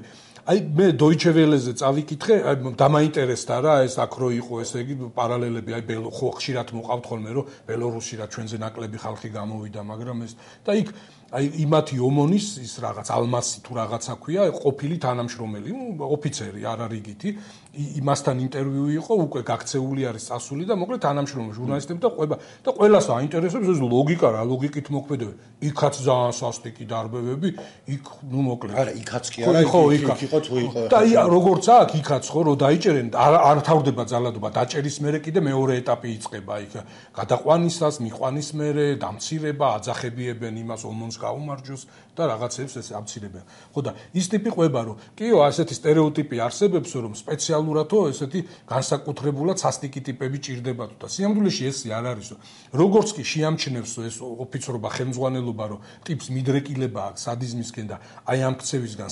აი მე Deutsche Welle-ზე წავიკითხე, აი დამაინტერესდა რა, ეს აქ რო იყო, ესე იგი პარალელები, აი ხო ხშირად მოყავთ ხოლმე, რომ ბელორუსი რა ჩვენზე ნაკლები ხალხი გამოვიდა, მაგრამ ეს და იქ აი იმათი ომონის ის რაღაც ალმასი თუ რაღაცა ქვია, ყოფილი თანამშრომელი, ოფიცერი, არა რიგითი, იმასთან ინტერვიუ იყო, უკვე გაქცეული არის წასული და მოკლედ თანამშრომელი ჟურნალისტები და ყვება და ყველას აინტერესებს ეს ლოგიკა რა, ლოგიკით მოქმედებენ. იქაც ძალიან სასტიკი დარბევები, იქ ნუ მოკლედ. არა, იქაც კი არა, იქ იყო თუ იყო. და როგორ აქ იქაც ხო, რომ დაიჭერენ, არ თავდება ძალადობა, დაჭერის მერე კიდე მეორე ეტაპი იწყება, იქ გადაყვანისას, მიყვანის მერე, დამცირება, აძახებიებენ იმას ომონს გაუმარჯოს და რაღაცებს ეს ამცირებენ. ხო და ის ტიპი ყვება, რომ კიო, ასეთი სტერეოტიპი არსებობს, რომ სპეციალურადო ესეთი განსაკუთრებულად სასტიკი ტიპები ჭირდებათ და სიამოვნებაში ეს არ არის. როგორც კი შეამჩნევს ეს ოფიცრობა, ხელმძღვანელობა, რომ ტიპს მიდრეკილება აქვს სადიზმისკენ და აი ამ ქცევისგან,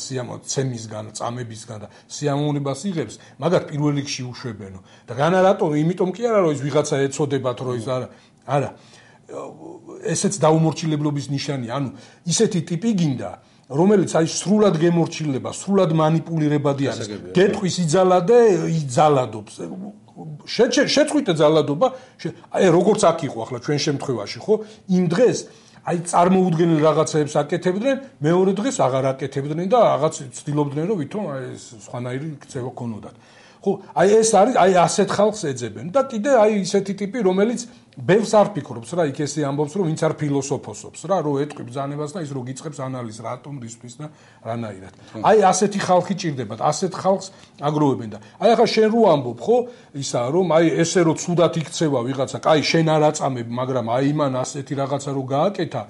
ცემისგან, წამებისგან და სიამოვნებას იღებს, მაგათ პირველ რიგში უშვებენო. და განა რატომ? იმიტომ კი არა, რომ ის ვიღაცა ეცოდებათ, რომ ის არა. ესეც დაუმორჩილებლობის ნიშანია. ანუ ისეთი ტიპი გინდა, რომელიც აი სრულად გემორჩილება, სრულად манипуლირებადი არის. გეტყვის იძალა და იძალადობს. შეწყვიტე ძალადობა, აი როგორც აქ იყო ახლა ჩვენ შემთხვევაში, ხო? იმ დღეს აი წარმოუდგენელ რაღაცებს აკეთებდნენ, მეორე დღეს აღარ აკეთებდნენ და რაღაც ცდილობდნენ, რომ ვითომ აი სხვანაირი ქცევა ქონოდათ. ხო, აი ეს არის, აი ასეთ ხალხს ეძებენ და კიდე აი ისეთი ტიპი, რომელიც ბევრს არ ფიქრობს რა, იქ ესე ამბობს, რომ ვინც არ ფილოსოფოსობს რა, რომ ეტყვი ბრძანებას და ის რო გიწყებს ანალიზს რატომ რისთვის და რანაირად. აი ასეთი ხალხი ჭირდებათ, ასეთ ხალხს აგროვებენ და აი ახლა შენ რო ამბობ, ხო, ისა რომ აი ესე რო ცუდად იქცევა ვიღაცა, კაი შენ არ აწამებ, მაგრამ აი მან ასეთი რაღაცა რო გააკეთა,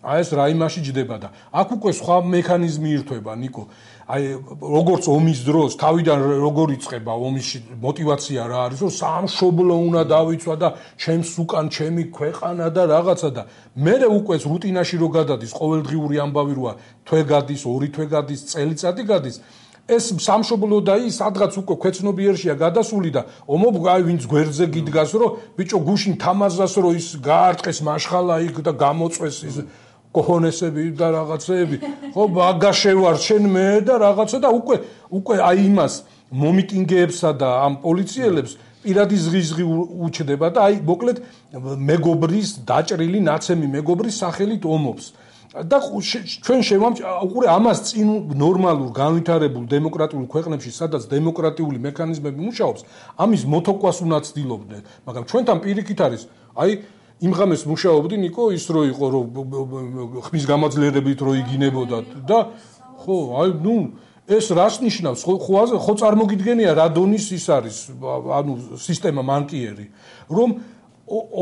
აი ეს რა იმაში ჯდება და აქ უკვე სხვა მექანიზმი ირთვება, ნიკო. აი როგორც ომის დროს თავიდან როგორ იწყება ომის мотиваცია რა არის რომ სამშობლო უნდა დავიცვა და ჩემს უკან ჩემი ქვეყანა და რაღაცა და მე უკვე რუტინაში რო გადადის ყოველდღიური ამბავი როა თვე გადის, ორი თვე გადის, წელიწადი გადის ეს სამშობლო და ის სადღაც უკვე ქვეცნობიერშია გადასული და ომობ აი ვინც გვერდზე გიდგას რომ ბიჭო გუშინ თამაზას რომ ის გაარტყეს მაშხალა იქ და გამოწვეს ის კოჰონესები და რაღაცეები ხო ბაგაშევარ შენ მე და რაღაცა და უკვე აი იმას მომიტინგეებსა და ამ პოლიციელებს პირადი ზღიზღი უჩდება და აი მოკლედ მეგობრის დაჭრილი ნაცემი მეგობრის სახელით ომობს და ჩვენ უკვე ამას წინ ნორმალურ განვითარებულ დემოკრატიულ ქვეყნებში სადაც დემოკრატიული მექანიზმები მუშაობს ამის მოთოკვას უნდა ცდილობდნენ მაგრამ ჩვენთან პირიქით არის აი იმ ღამეს მუშაობდი ნიკო ის რო იყო რომ ხმის გამაძლიერებით რო იგინებოდა და ხო აი ნუ ეს რას ნიშნავს ხო წარმოგიდგენია რა დონის ის არის ანუ სისტემა მანკიერი რომ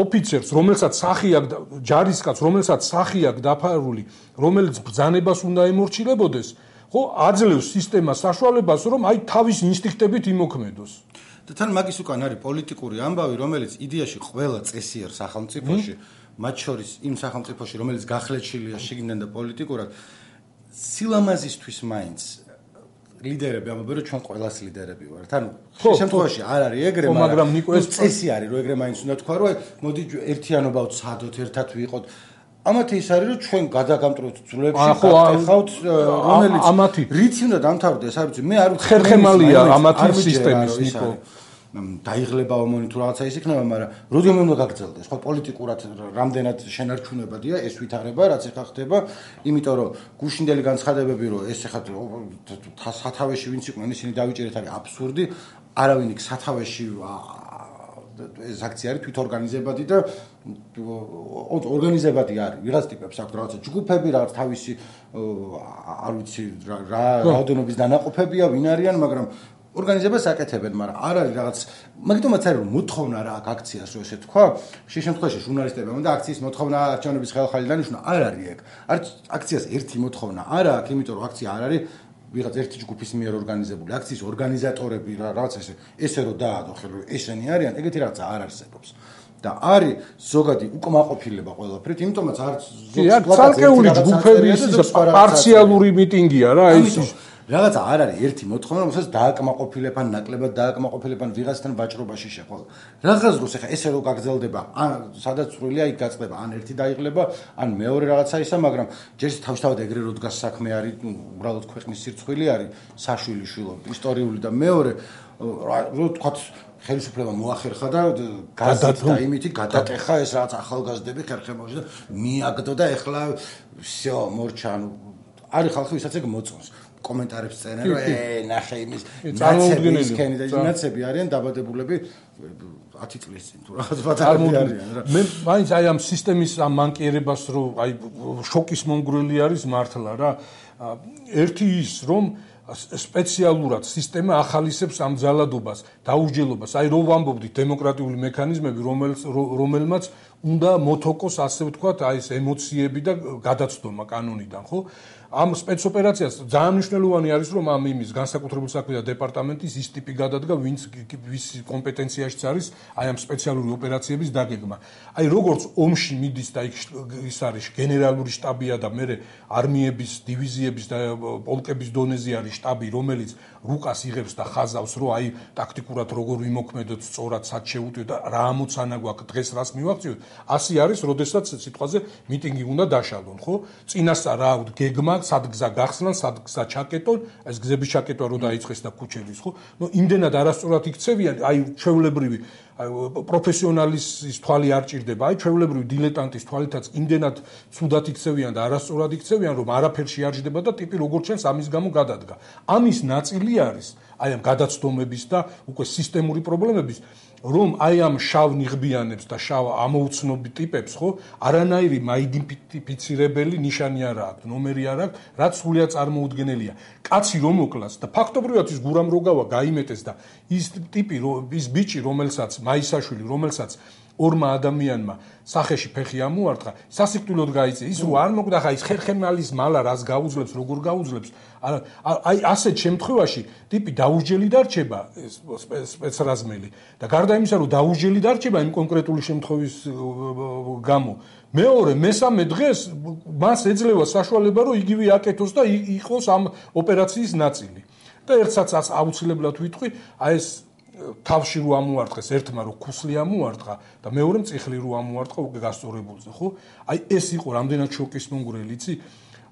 ოფიცერს რომელსაც სახი აქვს ჯარისკაცს რომელსაც სახი აქვს დაფარული რომელიც ბრძანებას უნდა ემორჩილებოდეს ხო აძლევს სისტემას საშუალებას რომ აი თავის ინსტინქტებით იმოქმედოს და თან მაგის უკან არის პოლიტიკური ამბავი, რომელიც იდეაში ყველა წესიერ სახელმწიფოში, მათ შორის იმ სახელმწიფოში, რომელიც გახლეჩილია შიგნიდან და პოლიტიკურად, სილამაზისთვის მაინც ლიდერები ამბობენ, რომ ჩვენ ყველას ლიდერები ვართ. ანუ ხშირ შემთხვევაში არ არის ეგრე, მაგრამ ეს წესი არის, რომ ეგრე მაინც უნდა თქვა, რომ მოდი ერთიანობა ვცადოთ, ერთად ვიყოთ. ამათი ის არის, რომ ჩვენ გადაგამტროთ ძვლებში, გახავთ, რომელიც რითი უნდა დამთავრდეს, არ ვიცი, მე არ ვიცი. ხერხემალია ამათი სისტემის, ნიკო. დაიღლება ომონი თუ რაღაცა ის იქნება, მაგრამ როდემე უნდა გაგრძელდეს, ხო პოლიტიკურად რამდენად შენარჩუნებადია ეს ვითარება, რაც ეხა ხდება, იმიტომ რომ გუშინდელი განცხადებები, რომ ეს ეხა სათავეში ვინც იყვნენ, ისინი დავიჭერეთ არის აბსურდი, არავინ იქ სათავეში ეს აქცია არის თვითორგანიზებადი და ორგანიზებადი არის. ვიღაც ტიპებს აქვს რაღაცა ჯგუფები, რაღაც თავისი არ ვიცი რა რაოდენობის დანაყოფებია, ვინ არიან, მაგრამ ორგანიზებას აკეთებენ, მაგრამ არ არის რაღაც მაგიტომაც არის რომ მოთხოვნა რა აქ აქციას რო ესე თქვა, შე შემთხვევაში ჟურნალისტებმა და აქციის მოთხოვნა არჩევნების ხელხალი დანიშნა, არ არის ეგ. აქციას ერთი მოთხოვნა არა აქვს, იმიტომ რომ აქცია არ არის ვიღაც ერთი ჯგუფის მიერ ორგანიზებული, აქციის ორგანიზატორები რაღაც ესე რომ დაადო ხელ რომ ესენი არიან, ეგეთი რაღაცა არ არსებობს. და არის ზოგადი უკმაყოფილება ყველაფრით, იმიტომაც არის ცალკეული ჯგუფები ის პარციალური მიტინგია რა ის რაღაცა არ არის ერთი მოთხოვნა, რომელსაც დააკმაყოფილებ ან ნაკლებად დააკმაყოფილებ ან ვიღაცთან ვაჭრობაში შეხვდა. რაღაც დროს ახლა ესე რო გაგრძელდება, ან სადაც წვრილია იქ გაწყდება, ან ერთი დაიღლება, ან მეორე რაღაცა ისა, მაგრამ ჯერ თავშთავად ეგრე რო დგას საქმე არის, უბრალოდ ქვეყნის სირცხვილი არის, საშვილი შვილო, ისტორიული და მეორე რო თქვათ ხელისუფლება მოახერხა და გაზეთ და იმითი გადაკეხა ეს რაღაც ახალგაზრდები ხერხემალში და მიაგდო და ეხლა всё მორჩა ანუ არის ხალხი ვისაც ეგ მოწონს კომენტარებს წერენ რომ ნახე იმის ნაცებისკენი და ნაცები არიან დაბადებულები 10 წლის წინ თუ რაღაც ბატონები არიან რა მე მაინც აი ამ სისტემის ამ მანკიერებას რომ აი შოკის მონგრელი არის მართლა რა ერთი ის რომ სპეციალურად სისტემა ახალისებს ამ ძალადობას, დაუსჯელობას. აი რო ვამბობდით დემოკრატიული მექანიზმები, რომელმაც უნდა მოთოკოს ასე ვთქვათ, აი ეს ემოციები და გადაცდომა კანონიდან, ხო? ამ სპეცოპერაციას ძალიან მნიშვნელოვანი არის, რომ ამ იმის განსაკუთრებული საქმეთა დეპარტამენტის ის ტიპი გადადგა, ვის კომპეტენციაშიც არის აი ამ სპეციალური ოპერაციების დაგეგმა. აი როგორც ომში მიდის და ის არის გენერალური შტაბია და მე არმიების, დივიზიების და პოლკების დონეზე არის შტაბი, რომელიც რუკას იღებს და ხაზავს, რომ აი ტაქტიკურად როგორ ვიმოქმედოთ, სწორად სად შევუტვიოთ და რა ამოცანა გვაქვს, დღეს რას მივაღწიოთ. ასე არის, როდესაც სიტყვაზე მიტინგი უნდა დაშალონ, ხო? წინასწარ რა გეგმა სად გზა გახსნან, სად გზა ჩაკეტონ, ეს გზების ჩაკეტვა რო დაიწყეს და ქუჩების, ხო? ნუ იმდენად არასწორად იქცევიან, აი ჩვეულებრივი პროფესიონალის თვალი არ ჭირდება, აი ჩვეულებრივი დილეტანტის თვალითაც იმდენად ცუდად იქცევიან და არასწორად იქცევიან, რომ არაფერში არ ჟდება და ტიპი როგორც ჩანს ამის გამო გადადგა. ამის ნაწილი არის აი ამ გადაცდომების და უკვე სისტემური პრობლემების, რომ აი ამ შავ ნიღბიანებს და შავ ამოუცნობი ტიპებს, ხო, არანაირი მაიდენტიფიცირებელი ნიშანი არ აქვს, ნომერი არ აქვს, რაც სრულიად წარმოუდგენელია. კაცი რომ მოკლას და ფაქტობრივად ის გურამ როგავა გაიმეტეს და ის ტიპი, ის ბიჭი, რომელსაც მაისაშვილი, რომელსაც ორმა ადამიანმა სახეში ფეხი ამოარტყა, სასიკვდილოდ გაიწია. ის რო არ მოკვდა, ხა ის ხერხემალის მალა რას გაუძლებს, როგორ გაუძლებს. აი ასეთ შემთხვევაში ტიპი დაუსჯელი დარჩება სპეცრაზმელი და გარდა იმისა, რომ დაუსჯელი დარჩება იმ კონკრეტული შემთხვევის გამო, მეორე, მესამე დღეს მას ეძლევა საშუალება, რომ იგივე აკეთოს და იყოს ამ ოპერაციის ნაწილი. და ერთსაც აუცილებლად ვიტყვი, აი ეს თავში რო ამოარტყეს, ერთმა რო ქუსლი ამოარტყა და მეორემ წიხლი რო ამოარტყა უკვე გასწორებულზე, ხო? აი ეს იყო რამდენად შოკისმომგვრელი, იცი?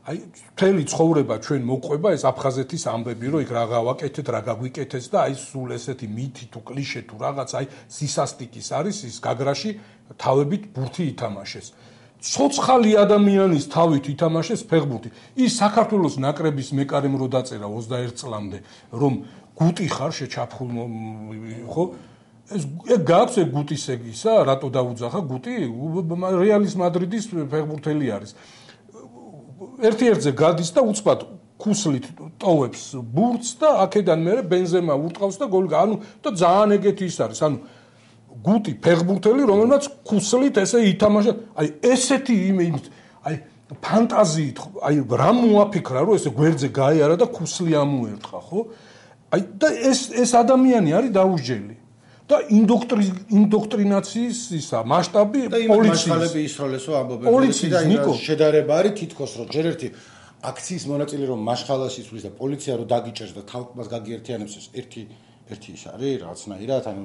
აი მთელი ცხოვრება ჩვენ მოყვება ეს აფხაზეთის ამბები, რომ იქ რა გავაკეთეთ, რა გაგვიკეთეს და აი სულ ესეთი მითი თუ კლიშე თუ რაღაც, აი სისასტიკის არის ის გაგრაში თავებით ბურთი ითამაშეს. ცოცხალი ადამიანის თავით ითამაშეს ფეხბურთი. ის საქართველოს ნაკრების მეკარემ რო დაწერა 21 წლამდე, რომ გუტი ხარ შეჩაფხულ, ხო? ეს გაქვს ეგ გუტის ეგისა, რატო დაუძახა გუტი? რეალის მადრიდის ფეხბურთელი არის. ერთ-ერთზე გადის და უცბად ქუსლით ტოვებს ბურთს და აქედან მე ბენზემა ურტყავს და გოლი. ანუ და ძალიან ეგეთი ის არის. ანუ გუტი ფეხბურთელი, რომელმაც ქუსლით ესე ითამაშა. აი ესეთი აი ფანტაზიით, აი რა მოაფიქრა, რომ ესე გვერდზე გაიარა და ქუსლი ამოერტყა, ხო? აი და ეს ადამიანი არის დაუსჯელი. და ინდოქტრინაციის ისა მასშტაბი პოლიციის მასშტაბები ისროლესო ამბობენ და შედარება არის თითქოს რომ ჯერ ერთი აქციის მონაწილე რომ მაშხალას იცვლის და პოლიცია რომ დაგიჭერს და თალკმას გაგიერთიანებს ეს ერთი ის არის რაღაცნაირად ანუ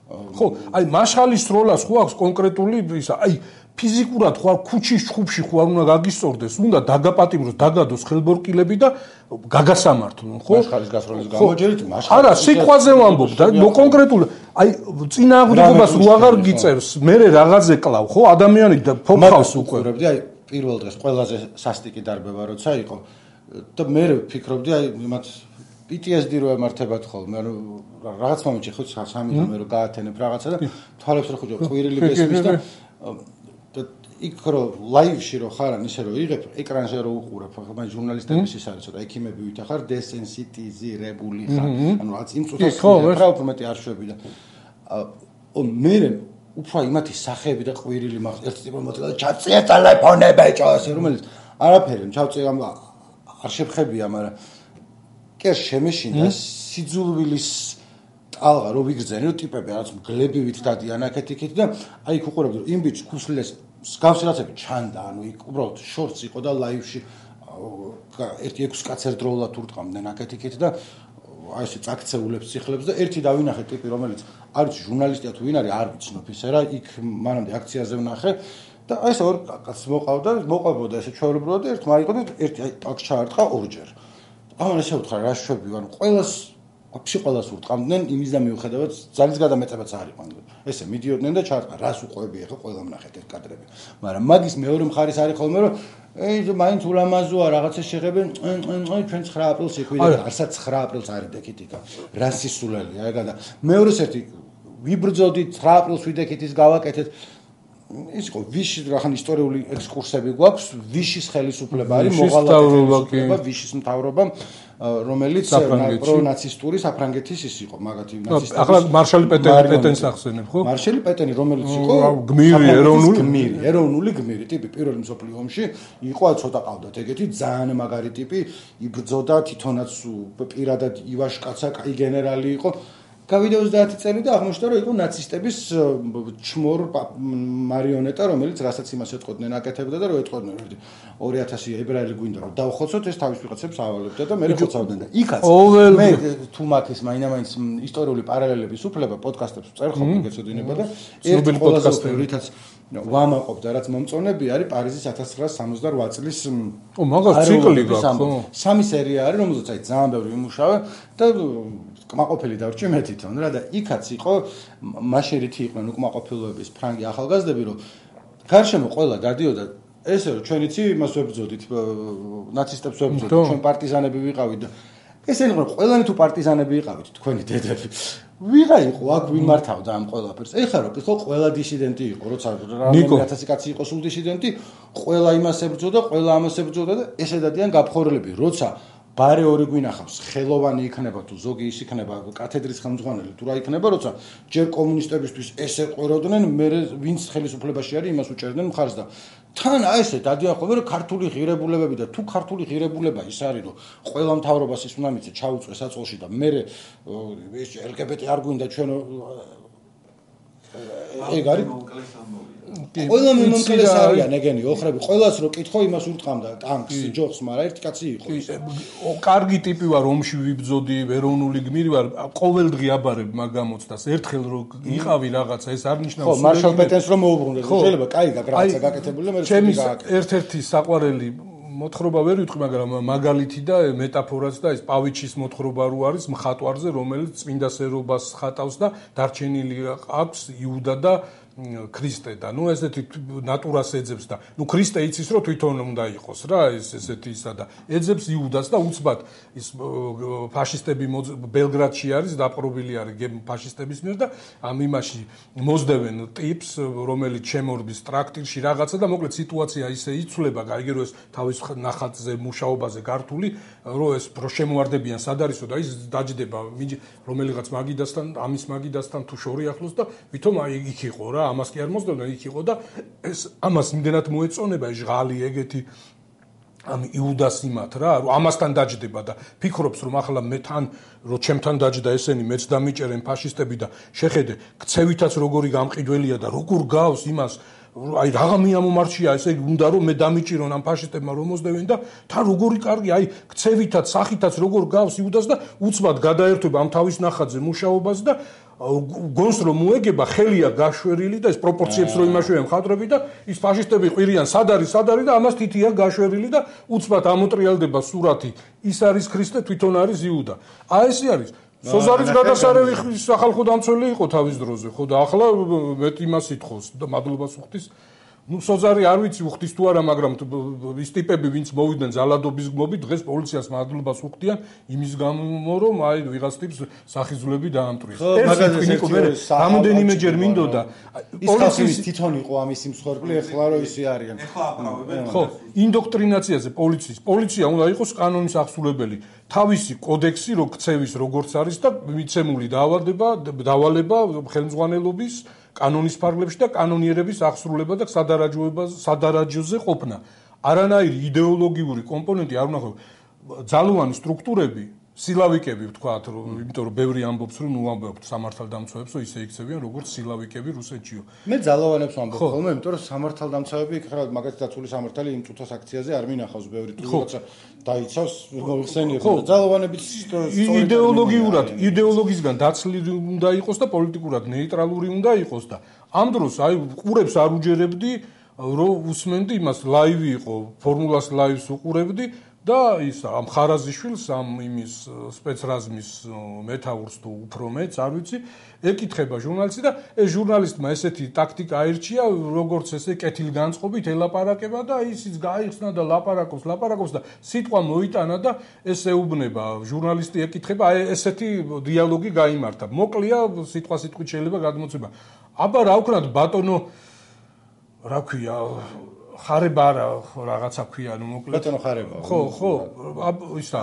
ხო აი მაშხალის როლას ხო აქვს კონკრეტული ისა აი ფიზიკურად ხო ქუჩის ჩხუბში ხო არ უნდა გაგისწორდეს უნდა დაგაპატიმროს დაგადოს ხელბორკილები და გაგასამართლონ ხო მაშხალის გასროლის გამოჯერით მაშხალის არა სიტყვაზე ვამბობ და კონკრეტული აი წინააღმდეგობას რო აღარ გიწერს მე რაღაცე კლავ ხო ადამიანი და ფოფხავს უკვე აი პირველ დღეს ყველაზე სასტიკი დარბევა როცა იყო და მე ვფიქრობდი აი მათ PTSD რო ემართებათ ხოლმე ანუ რაღაც მომენტში ხო სამი მე რო გაათენებ რაღაცა და თვალებს რო ხუჭო ყვირილი გესმის და იქ რო ლაივში რო ხარ ან ისე რო იღებ ეკრანზე რო უყურებ ხო მაგ ჟურნალისტების ის არის ცოტა ექიმები ვითახარ დესენსიტიზირებული ხარ ანუ რაღაც იმ წუთას რა უფრო მეტი არ შვები და მე უფრო იმათი სახეები და ყვირილი მაქვს ერთ ტიპი მოწელა ჩაწია ტელეფონები ჭას რომელიც არაფერი ჩავწია არ შეფხებია მაგრამ კერ შემეშინდა სიძულვილის ტალღა რო ვიგრძენი რომ ტიპები რაღაც გლებივით დადიან აქეთ-იქით და აი იქ უყურებდი რომ იმ ბიჭს ქუსლეს გავსილაცები ჩანდა ანუ იქ უბრალოდ შორტს იყო და ლაივში ერთი 6 კაც ერთდროულად ურტყამდნენ აქეთ-იქით და აი ესე წაქცეულებს ციხლებს და ერთი დავინახე ტიპი რომელიც არის ჟურნალისტია თუ ვინ არის არ ვიცნობ ისე რა იქ მანამდე აქციაზე ვნახე და აი ესე ორ კაც მოყვებოდა ესე ჩვეულებრივად და ერთ მაიყო და ერთი აი აქ ჩაარტყა ორჯერ ამან ესე ვთქვა რა შვები ანუ ყველას ურტყამდნენ იმის და მიუხედავად ძალის გადამეტებაც არ იყო ესე მიდიოდნენ და ჩაარტყა რას უყვები ახლა ყველა ვნახეთ ეს კადრები მაგრამ მაგის მეორე მხარის არის ხოლმე რომ მაინც ულამაზოა რაღაცა შეღებენ ჩვენ 9 აპრილს იქვიდან არსაც 9 აპრილს არის დეკითიკა რა სისულელია ეგა და მეორეს ერთი ვიბრძოდით 9 აპრილს ვიდეკით ის გავაკეთეთ ის იყო ვიშის რახან ისტორიული ექსკურსები გვაქვს ვიშის ხელისუფლება არის მოღალატე ვიშის მთავრობა რომელიც პრონაცისტური საფრანგეთის ის იყო მაგათი ნაცისტები ახლა მარშალი პეტენს ახსენებ ხო მარშალი პეტენი რომელიც იყო გმირი ეროვნული გმირი ტიპი პირველი მსოფლიო ომში იყო ცოტა ყავდათ ეგეთი ძალიან მაგარი ტიპი იბრძოდა თვითონაც პირადად ივაშკაცა კაი გენერალი იყო გავიდა 30 წელი და აღმოჩნდა რომ იყო ნაცისტების ჩმორ მარიონეტა რომელიც რასაც იმას ეთყოდნენ აკეთებდა და რომ ეთყოდნენ 2000 ებრაელი გვინდა რომ დავხოცოთ ეს თავის ვიღაცებს ავალებდა და მე ხოცავდნენ და იქაც მე თუ მაქის მაინამაინც ისტორიული პარალელების უფლება პოდკასტებს წერ ხოლმე გეცოდინება და ერთი ყველაზე რითაც ვამაყობ და რაც მომწონები არის პარიზის 1968 წლის მაგას ციკლი გაქვს ხო სამი სერია არის რომელზეც აი ძალიან ბევრი ვიმუშავე და კმაყოფილი დავრჩი მე თვითონ რა და იქაც იყო მაშინ რითი იყვნენ უკმაყოფილოების ფრანგი ახალგაზრდები რომ გარშემო ყველა დადიოდა ესე რომ ჩვენიცი იმას ვებრძოდით ნაცისტებს ვებრძოდით ჩვენ პარტიზანები ვიყავით და ესენი იყო ყველანი თუ პარტიზანები იყავით თქვენი დედები ვიღა იყო აქ ვინ მართავდა ამ ყველაფერს ეხლა რო ხო ყველა დისიდენტი იყო როცა რამდენი 1000 კაცი იყო სულ დისიდენტი ყველა იმას ებრძოდა ყველა ამას ებრძოდა და ესე დადიან გაფხორლები როცა ბარე ორი გვინახავს ხელოვანი იქნება თუ ზოგი ის იქნება კათედრის ხელმძღვანელი თუ რა იქნება როცა ჯერ კომუნისტებისთვის ესე ყვეროდნენ მე ვინც ხელისუფლებაში არის იმას უჭერდნენ მხარს და თან აი ესე დადიან ხოლმე რომ ქართული ღირებულებები და თუ ქართული ღირებულება ის არის რომ ყველა მთავრობას ის უნდა მიწე ჩაუწვეს საწყოში და მე ეს LGBT არ გვინდა ჩვენ ეგ არის ყველა მომკლეს არიან ეგენი ოხრები ყველას რო კითხო იმას ურტყამდა ტანკს ჯოხს მაგრამ ერთი კაცი იყო კარგი ტიპი ვარ ომში ვიბძოდი ეროვნული გმირი ვარ ყოველდღე აბარებ მაგ გამოცდას ერთხელ რო იყავი რაღაცა ეს არ ნიშნავს ხო მარშალ პეტენს რომ მოუბრუნდეს შეიძლება კაი რაღაცა გაკეთებული და მე ჩემი ერთ-ერთი საყვარელი მოთხრობა ვერ ვიტყვი მაგრამ მაგალითი და მეტაფორაც და ეს პავიჩის მოთხრობა რო არის მხატვარზე რომელიც წმინდა სერობას ხატავს და დარჩენილი აქვს იუდა და ქრისტე და ნუ ესეთი ნატურას ეძებს და ნუ ქრისტე იცის რომ თვითონ უნდა იყოს რა ეს ესეთი ისა და ეძებს იუდას და უცბად ის ფაშისტები ბელგრადში არის დაპყრობილი არის ფაშისტების მიერ და ამ იმაში მოსდევენ ტიპს რომელიც შემორბის ტრაქტირში რაღაცა და მოკლედ სიტუაცია ისე იცვლება გაიგე რომ ეს თავის ნახატზე მუშაობაზე გართული რომ ეს რო შემოარდებიან სად არისო და ის დაჯდება რომელიღაც მაგიდასთან ამის მაგიდასთან თუ შორი ახლოს და ვითომ აი იქ იყო რა ამას კი არ მოსდევდა იქ იყო და ეს ამას იმდენად მოეწონება ეს ჟღალი ეგეთი ამ იუდას იმათ რა რომ ამასთან დაჯდება და ფიქრობს რომ ახლა მე თან რო ჩემთან დაჯდა ესენი მეც დამიჭერენ ფაშისტები და შეხედე ქცევითაც როგორი გამყიდველია და როგორ გავს იმას აი რაღა მიამომარჩია ესე უნდა რომ მე დამიჭირონ ამ ფაშისტებმა რომ მოსდევენ და თან როგორი კარგი აი ქცევითაც სახითაც როგორ გავს იუდას და უცბად გადაერთვება ამ თავის ნახატზე მუშაობას და გონს რომ მოეგება ხელია გაშვერილი და ეს პროპორციებს რო იმაშვია მხატვრები და ის ფაშისტები ყვირიან სად არის და ამას თითია გაშვერილი და უცბად ამოტრიალდება სურათი ის არის ქრისტე თვითონ არის იუდა აი ესე არის სოზარის გადასარევი სახალხო დამცველი იყო თავის დროზე ხო და ახლა მეტ იმას ითხოვს და მადლობას უხდის ნუ სოზარი არ ვიცი უხდის თუ არა მაგრამ ის ტიპები ვინც მოვიდნენ ზალადობის გმობით დღეს პოლიციას მადლობას უხდიან იმის გამო რომ აი ვიღაც ტიპს სახიზულები დაამტვრიეს ეს რამოდენიმეჯერ მინდოდა პოლიციის თვითონ იყო ამის მსხვერპლი ეხლა რო ისე არიან ეხლა აპრავებენ ხო ინდოქტრინაციაზე პოლიცია უნდა იყოს კანონის აღსრულებელი თავისი კოდექსი რო ქცევის როგორც არის და მიცემული დავალება ხელმძღვანელობის კანონის ფარგლებში და კანონიერების აღსრულება და სადარაჯოზე ყოფნა. არანაირი იდეოლოგიური კომპონენტი არ უნდა ძალოვანი სტრუქტურები, სილავიკები ვთქვათ, იმიტომ რომ ბევრი ამბობს რომ ნუ ამბობთ სამართალდამცავებს, რომ ისე იქცევიან როგორც სილავიკები რუსეთშიო. მე ძალოვანებს ვამბობ ხოლმე, იმიტომ რომ სამართალდამცავები იქ რა მაგათი დაცული სამართალი იმ წუთას აქციაზე არ მინახავს ბევრი თუ როცა დაიცავს მოიხსენიებ და ძალოვანებით იდეოლოგიისგან დაცლილი უნდა იყოს და პოლიტიკურად ნეიტრალური უნდა იყოს და ამ დროს აი ყურებს არ უჯერებდი რომ უსმენდი იმას ლაივი იყო ფორმულას ლაივს უყურებდი და ის ამ ხარაზიშვილს ამ იმის სპეცრაზმის მეთაურს თუ უფრო მეც არ ვიცი ეკითხება ჟურნალისტი და ეს ჟურნალისტმა ესეთი ტაქტიკა აირჩია როგორც ესე კეთილგანწყობით ელაპარაკება და ისიც გაიხსნა და ლაპარაკობს და სიტყვა მოიტანა და ეს ეუბნება ჟურნალისტი ეკითხება აი ესეთი დიალოგი გაიმართა მოკლია სიტყვით შეიძლება გადმოცემა აბა რა ვქნათ ბატონო რა ქვია ხარება არა რაღაცა ქვია ანუ მოკლედ ბატონო ხარება ხო ისა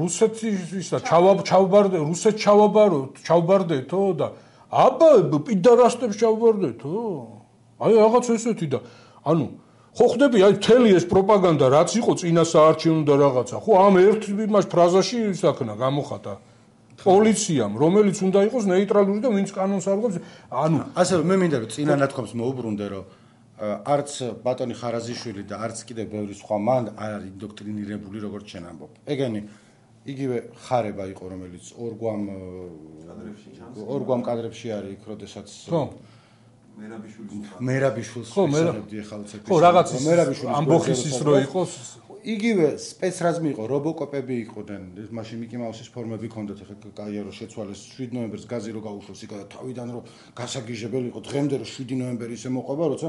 რუსეთს ისა ჩავბარდეთო და აბა პიდარასტებს ჩავბარდეთო აი რაღაც ესეთი და ანუ ხო ხდები აი მთელი ეს პროპაგანდა რაც იყო წინა საარჩევნო და რაღაცა ხო ამ ერთ იმას ფრაზაში ისაქნა გამოხატა პოლიციამ რომელიც უნდა იყოს ნეიტრალური და ვინც კანონს არღვევს ანუ ასე მე მინდა რომ წინა ნათქვამს მოუბრუნდე რომ არც ბატონი ხარაზიშვილი და არც კიდევ ბევრი სხვა მან არ არის ინდოქტრინირებული როგორც შენ ამბობ ეგენი იგივე ხარება იყო რომელიც ორგვამ კადრებში არის იქ როდესაც მერაბიშვილს ვისწავლებდი ახალ ცეკვის ხო რაღაც ამბოხის ის რო იყოს იგივე სპეცრაზმი იყო რობოკოპები იყვნენ მაშინ მიკი მაუსის ფორმები ჰქონდათ ახლა კაია რო შეცვალეს 7 ნოემბერს გაზი რო გაუშვეს იქა და თავიდან რო გასაგიჟებელი იყო დღემდე რო 7 ნოემბერი ისე მოყვება როცა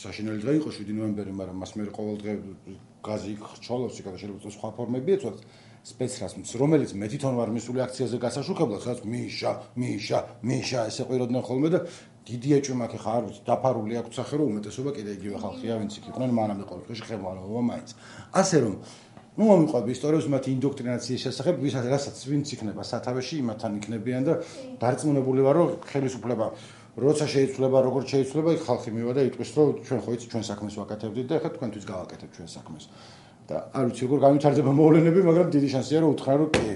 საშინელი დღე იყო 7 ნოემბერი მაგრამ მას მე ყოველ დღე გაზი ხრჩოლობს იქა და შეიძლება სხვა ფორმები ეცვათ სპეცრაზმს რომელიც მე თვითონ ვარ მისული აქციაზე გასაშუქებლად სადაც მიშა ესე ყვიროდნენ ხოლმე და დიდი ეჭვი მაქვს ხა არ ვიცი დაფარული აქვს სახე რომ უმეტესობა კიდე იგივე ხალხია ვინც იქ იყვნენ მანამდე ყოველთვის ხელმძღვანელობა მაინც ასე რომ ნუ მომიყვება ისტორიებს მათი ინდოქტრინაციის შესახებ რასაც ვინც იქნება სათავეში იმათთან იქნებიან და დარწმუნებული ვარ რომ ხელისუფლება როცა შეიცვლება როგორც შეიცვლება იქ ხალხი მივა და იტყვის რომ ჩვენ ხო იცი ჩვენ საქმეს ვაკეთებდით და ახლა თქვენთვის გავაკეთებთ ჩვენ საქმეს და არ ვიცი როგორ განვითარდება მოვლენები მაგრამ დიდი შანსია რომ უთხრა რომ კი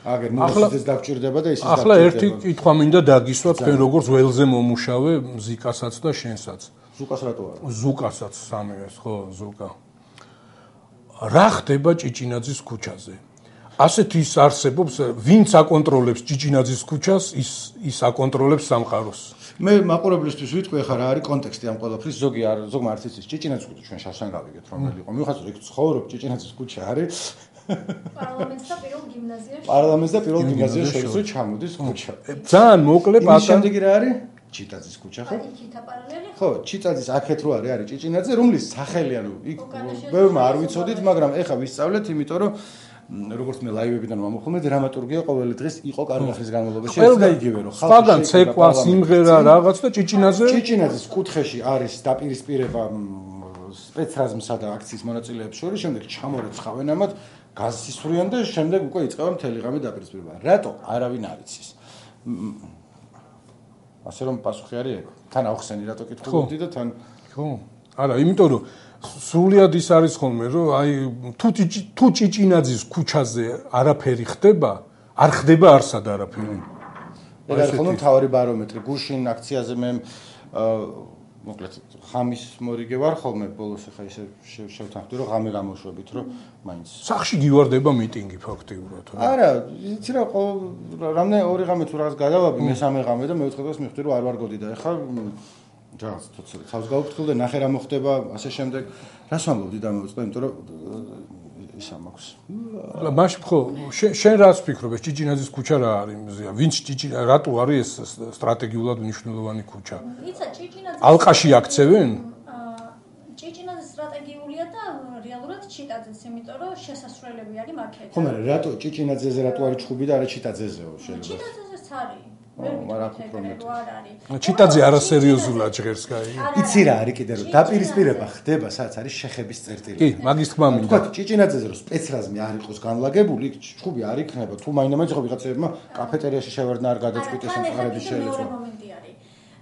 აგერ მოსიძეს დაგჭირდება და ისიც ახლა ერთი კითხვა მინდა დაგისვა თქვენ როგორც ველზე მომუშავე მზიკასაც და შენსაც ზუკას რატო არა ზუკასაც სამივეს ხო ზუკა რა ხდება ჭიჭინაძის ქუჩაზე ასეთ ის არსებობს ვინც აკონტროლებს ჭიჭინაძის ქუჩას ის აკონტროლებს სამყაროს მე მაყურებლისთვის ვიტყვი ახლა რა არის კონტექსტი ამ ყველაფრის ზოგმა არც იცის ჭიჭინაძის ქუჩა ჩვენ შავსან გავიგეთ რომელი იყო მიუხედავად რომ იქ ცხოვრობ ჭიჭინაძის ქუჩა არის პარლამენტს და პირველ გიმნაზიაში შორის რო ჩამოდის ქუჩა ძალიან მოკლე პატარა შემდეგი რა არის ჭიტაძის ქუჩა ხო იქითა პარალელი ხო ჭიტაძის აქეთ რო არის ჭიჭინაძე რომლის სახელი ანუ იქ ბევრმა არ ვიცოდით მაგრამ ეხა ვისწავლეთ იმიტომ რომ როგორც მე ლაივებიდან მომხდომე დრამატურგია ყოველი დღეს იყო კარგახის განმავლობაში ეს და იგივე რომ ხალხი ცეკვა სიმღერა რაღაც და ჭიჭინაძის კუთხეში არის დაპირისპირება სპეცრაზმსა და აქციის მონაწილეებს შორის შემდეგ ჩამორეცხავენ ამათ გასისვრიან და შემდეგ უკვე იწყება მთელი ღამე დაპირისპირება რატო არავინ არ იცის ასე რომ პასუხი არის ეგ თან ახსენი რატო კითხულობდი და თან ხო არა იმიტომ რომ სრულიად ის არის ხოლმე რომ აი თუ ჭიჭინაძის ქუჩაზე არაფერი ხდება არ ხდება არსად არაფერი ეგ არის ხოლმე მთავარი ბარომეტრი გუშინ აქციაზე მე მოკლედ ხამის მორიგე ვარ ხოლმე ბოლოს ახლა ისე შევთანხმდი რომ ღამე გამოშვებით რომ მაინც სახში გივარდება მიტინგი ფაქტიურად არა იცი რა რამდენი ორი ღამე თუ რაღაც გადავაბი მესამე ღამე და მეოთხე დღეს მივხვდი რომ არ ვარ გოდი და ახლა რაღაც თოცხალ თავს გავუფრთხილ და ნახე რა მოხდება ასე შემდეგ რას ვამბობდი და მოვიწყე იმიტომ რომ ისა მაქვს მაშ ხო შენ რას ფიქრობ ეს ჭიჭინაძის ქუჩა რა არის მზია ვინც ჭიჭინა რატო არის ეს სტრატეგიულად მნიშვნელოვანი ქუჩა იცი ჭიჭინაძის ალყაში აქცევენ ჭიჭინაძის სტრატეგიულია და რეალურად ჭიტაძეს იმიტომ რომ შესასვლელები არის მაქეთ ხო მაგრამ რატო ჭიჭინაძეზე რატო არის ჩხუბი და არა ჭიტაძეზეო შეიძლება ჭიტაძესაც არის ჭიტაძე არასერიოზულად ჟღერს კაი იცი რა არის კიდე რომ დაპირისპირება ხდება სადაც არის შეხების წერტილი კი მაგის თქმა მინდა თქვა ჭიჭინაძეზე რომ სპეცრაზმი არ იყოს განლაგებული ჩხუბი არ იქნება თუ მაინდა-მაინც ხო ვიღაცებმა კაფეტერიაში შევარდნა არ გადაწყვიტეს ამ ყარების შეიძლება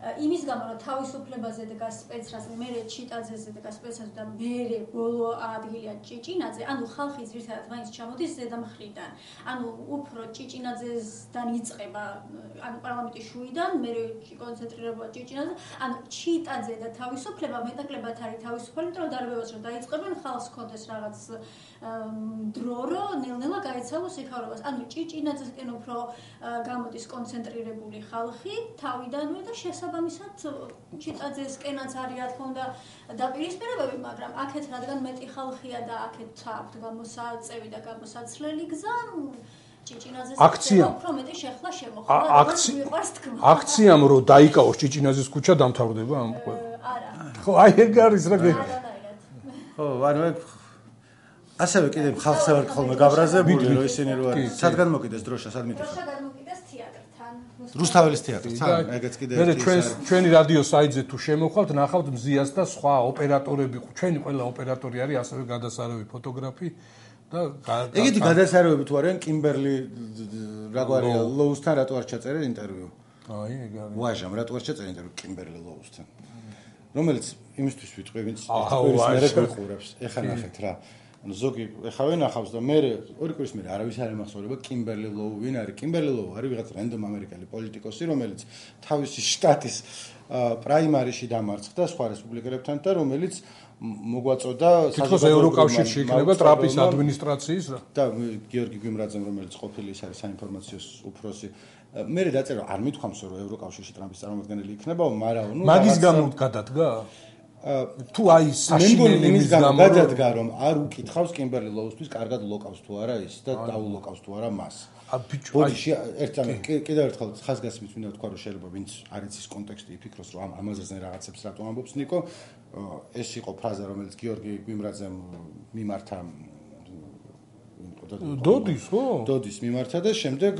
იმის გამო რომ თავისუფლებაზე და სპეცრაზმი მე ჭიტაძეზე და სპეცრაზმი და მე ბოლო ადგილია ჭიჭინაძე ანუ ხალხი ძირითადად მაინც ჩამოდის ზედამხრიდან ანუ უფრო ჭიჭინაძესთან იწყება ანუ პარლამენტის შუიდან მე კონცენტრირება ჭიჭინაძე ანუ ჭიტაძე და თავისუფლება მეტაკლებად არის თავისუფალი იმიტომ რომ დარბევას რომ დაიწყებენ ხალხს კონდეს რაღაც დრო რომ ნელ-ნელა გაეცალოს ეკავებას ანუ ჭიჭინაძესკენ უფრო გამოდის კონცენტრირებული ხალხი თავიდანვე და შესაბამისად ჭიტაძესკენაც არის რა თქმა უნდა დაპირისპირებები მაგრამ აქეთ რადგან მეტი ხალხია და აქეთ აქვთ გამოსაწევი და გამოსაცვლელი გზა ჭიჭინაძეს უფრო მეტი შეხლა შემოხდა აქციამ რო დაიკავოს ჭიჭინაძის ქუჩა დამთავრდება ამ არა ხო აი ეგ არის რა ხო ანუ ასევე კიდე ხალხზე ვარ ხოლმე გაბრაზებული, რომ ისინი რო არის. სადგან მოკიდეს დროშა, სად მიტეხა? დროშა გადმოკიდეს თეატრთან. რუსთაველის თეატრთან, ეგეც კიდე ჩვენი რადიო საიტზე თუ შემოხვალთ, ნახავთ მზიას და სხვა ოპერატორები, ჩვენი ყველა ოპერატორი არის ასევე გადასარევი ფოტოგრაფი და ეგეთი გადასარევები თუ არიან კიმბერლი რაგვარია ლოუსთან რატო არ ჩაწერე ინტერვიუ? აი, ეგ არის. ვაჟამ რატო არ ჩაწერე ინტერვიუ კიმბერლი ლოუსთან? რომელიც იმისთვის ვიტყვი, ვინც ერთგვრის მერე ყურებს. ეხლა ნახეთ რა. ანუ ზოგი ეხლა ვენახავს და მე ორი კვირის მერე არავის არ ემახსოვრება კიმბერლი ლოუ ვინ არის. კიმბერლი ლოუ არის ვიღაც რენდომ ამერიკელი პოლიტიკოსი, რომელიც თავისი შტატის პრაიმარიში დამარცხდა სხვა რესპუბლიკელებთან და რომელიც მოგვაწოდა თითქოს ევროკავშირში იქნება ტრამპის ადმინისტრაციის რა. და გიორგი გვიმრაძემ, რომელიც ყოფილი ის არის საინფორმაციო უფროსი. მე დაწერა არ მithქვამს რომ ევროკავშირში ტრამპის წარმომადგენელი იქნება, მაგრამ ნუ მაგის გამო გადადგა? თუ აი საშინელი იმის გამო გადადგა რომ არ უკითხავს კიმბერლი ლოუსთვის კარგად ლოკავს თუ არა ის და დაულოკავს თუ არა მას. ბოდიში ერთამე კიდევ ერთხელ ხაზგასმით მინდა თქვა რომ შეიძლება ვინც არ იცის კონტექსტი იფიქროს რომ ამაზე რაღაცებს რატო ამბობს ნიკო ეს იყო ფრაზა რომელიც გიორგი გვიმრაძემ მიმართა დოდის ხო? დოდის მიმართა და შემდეგ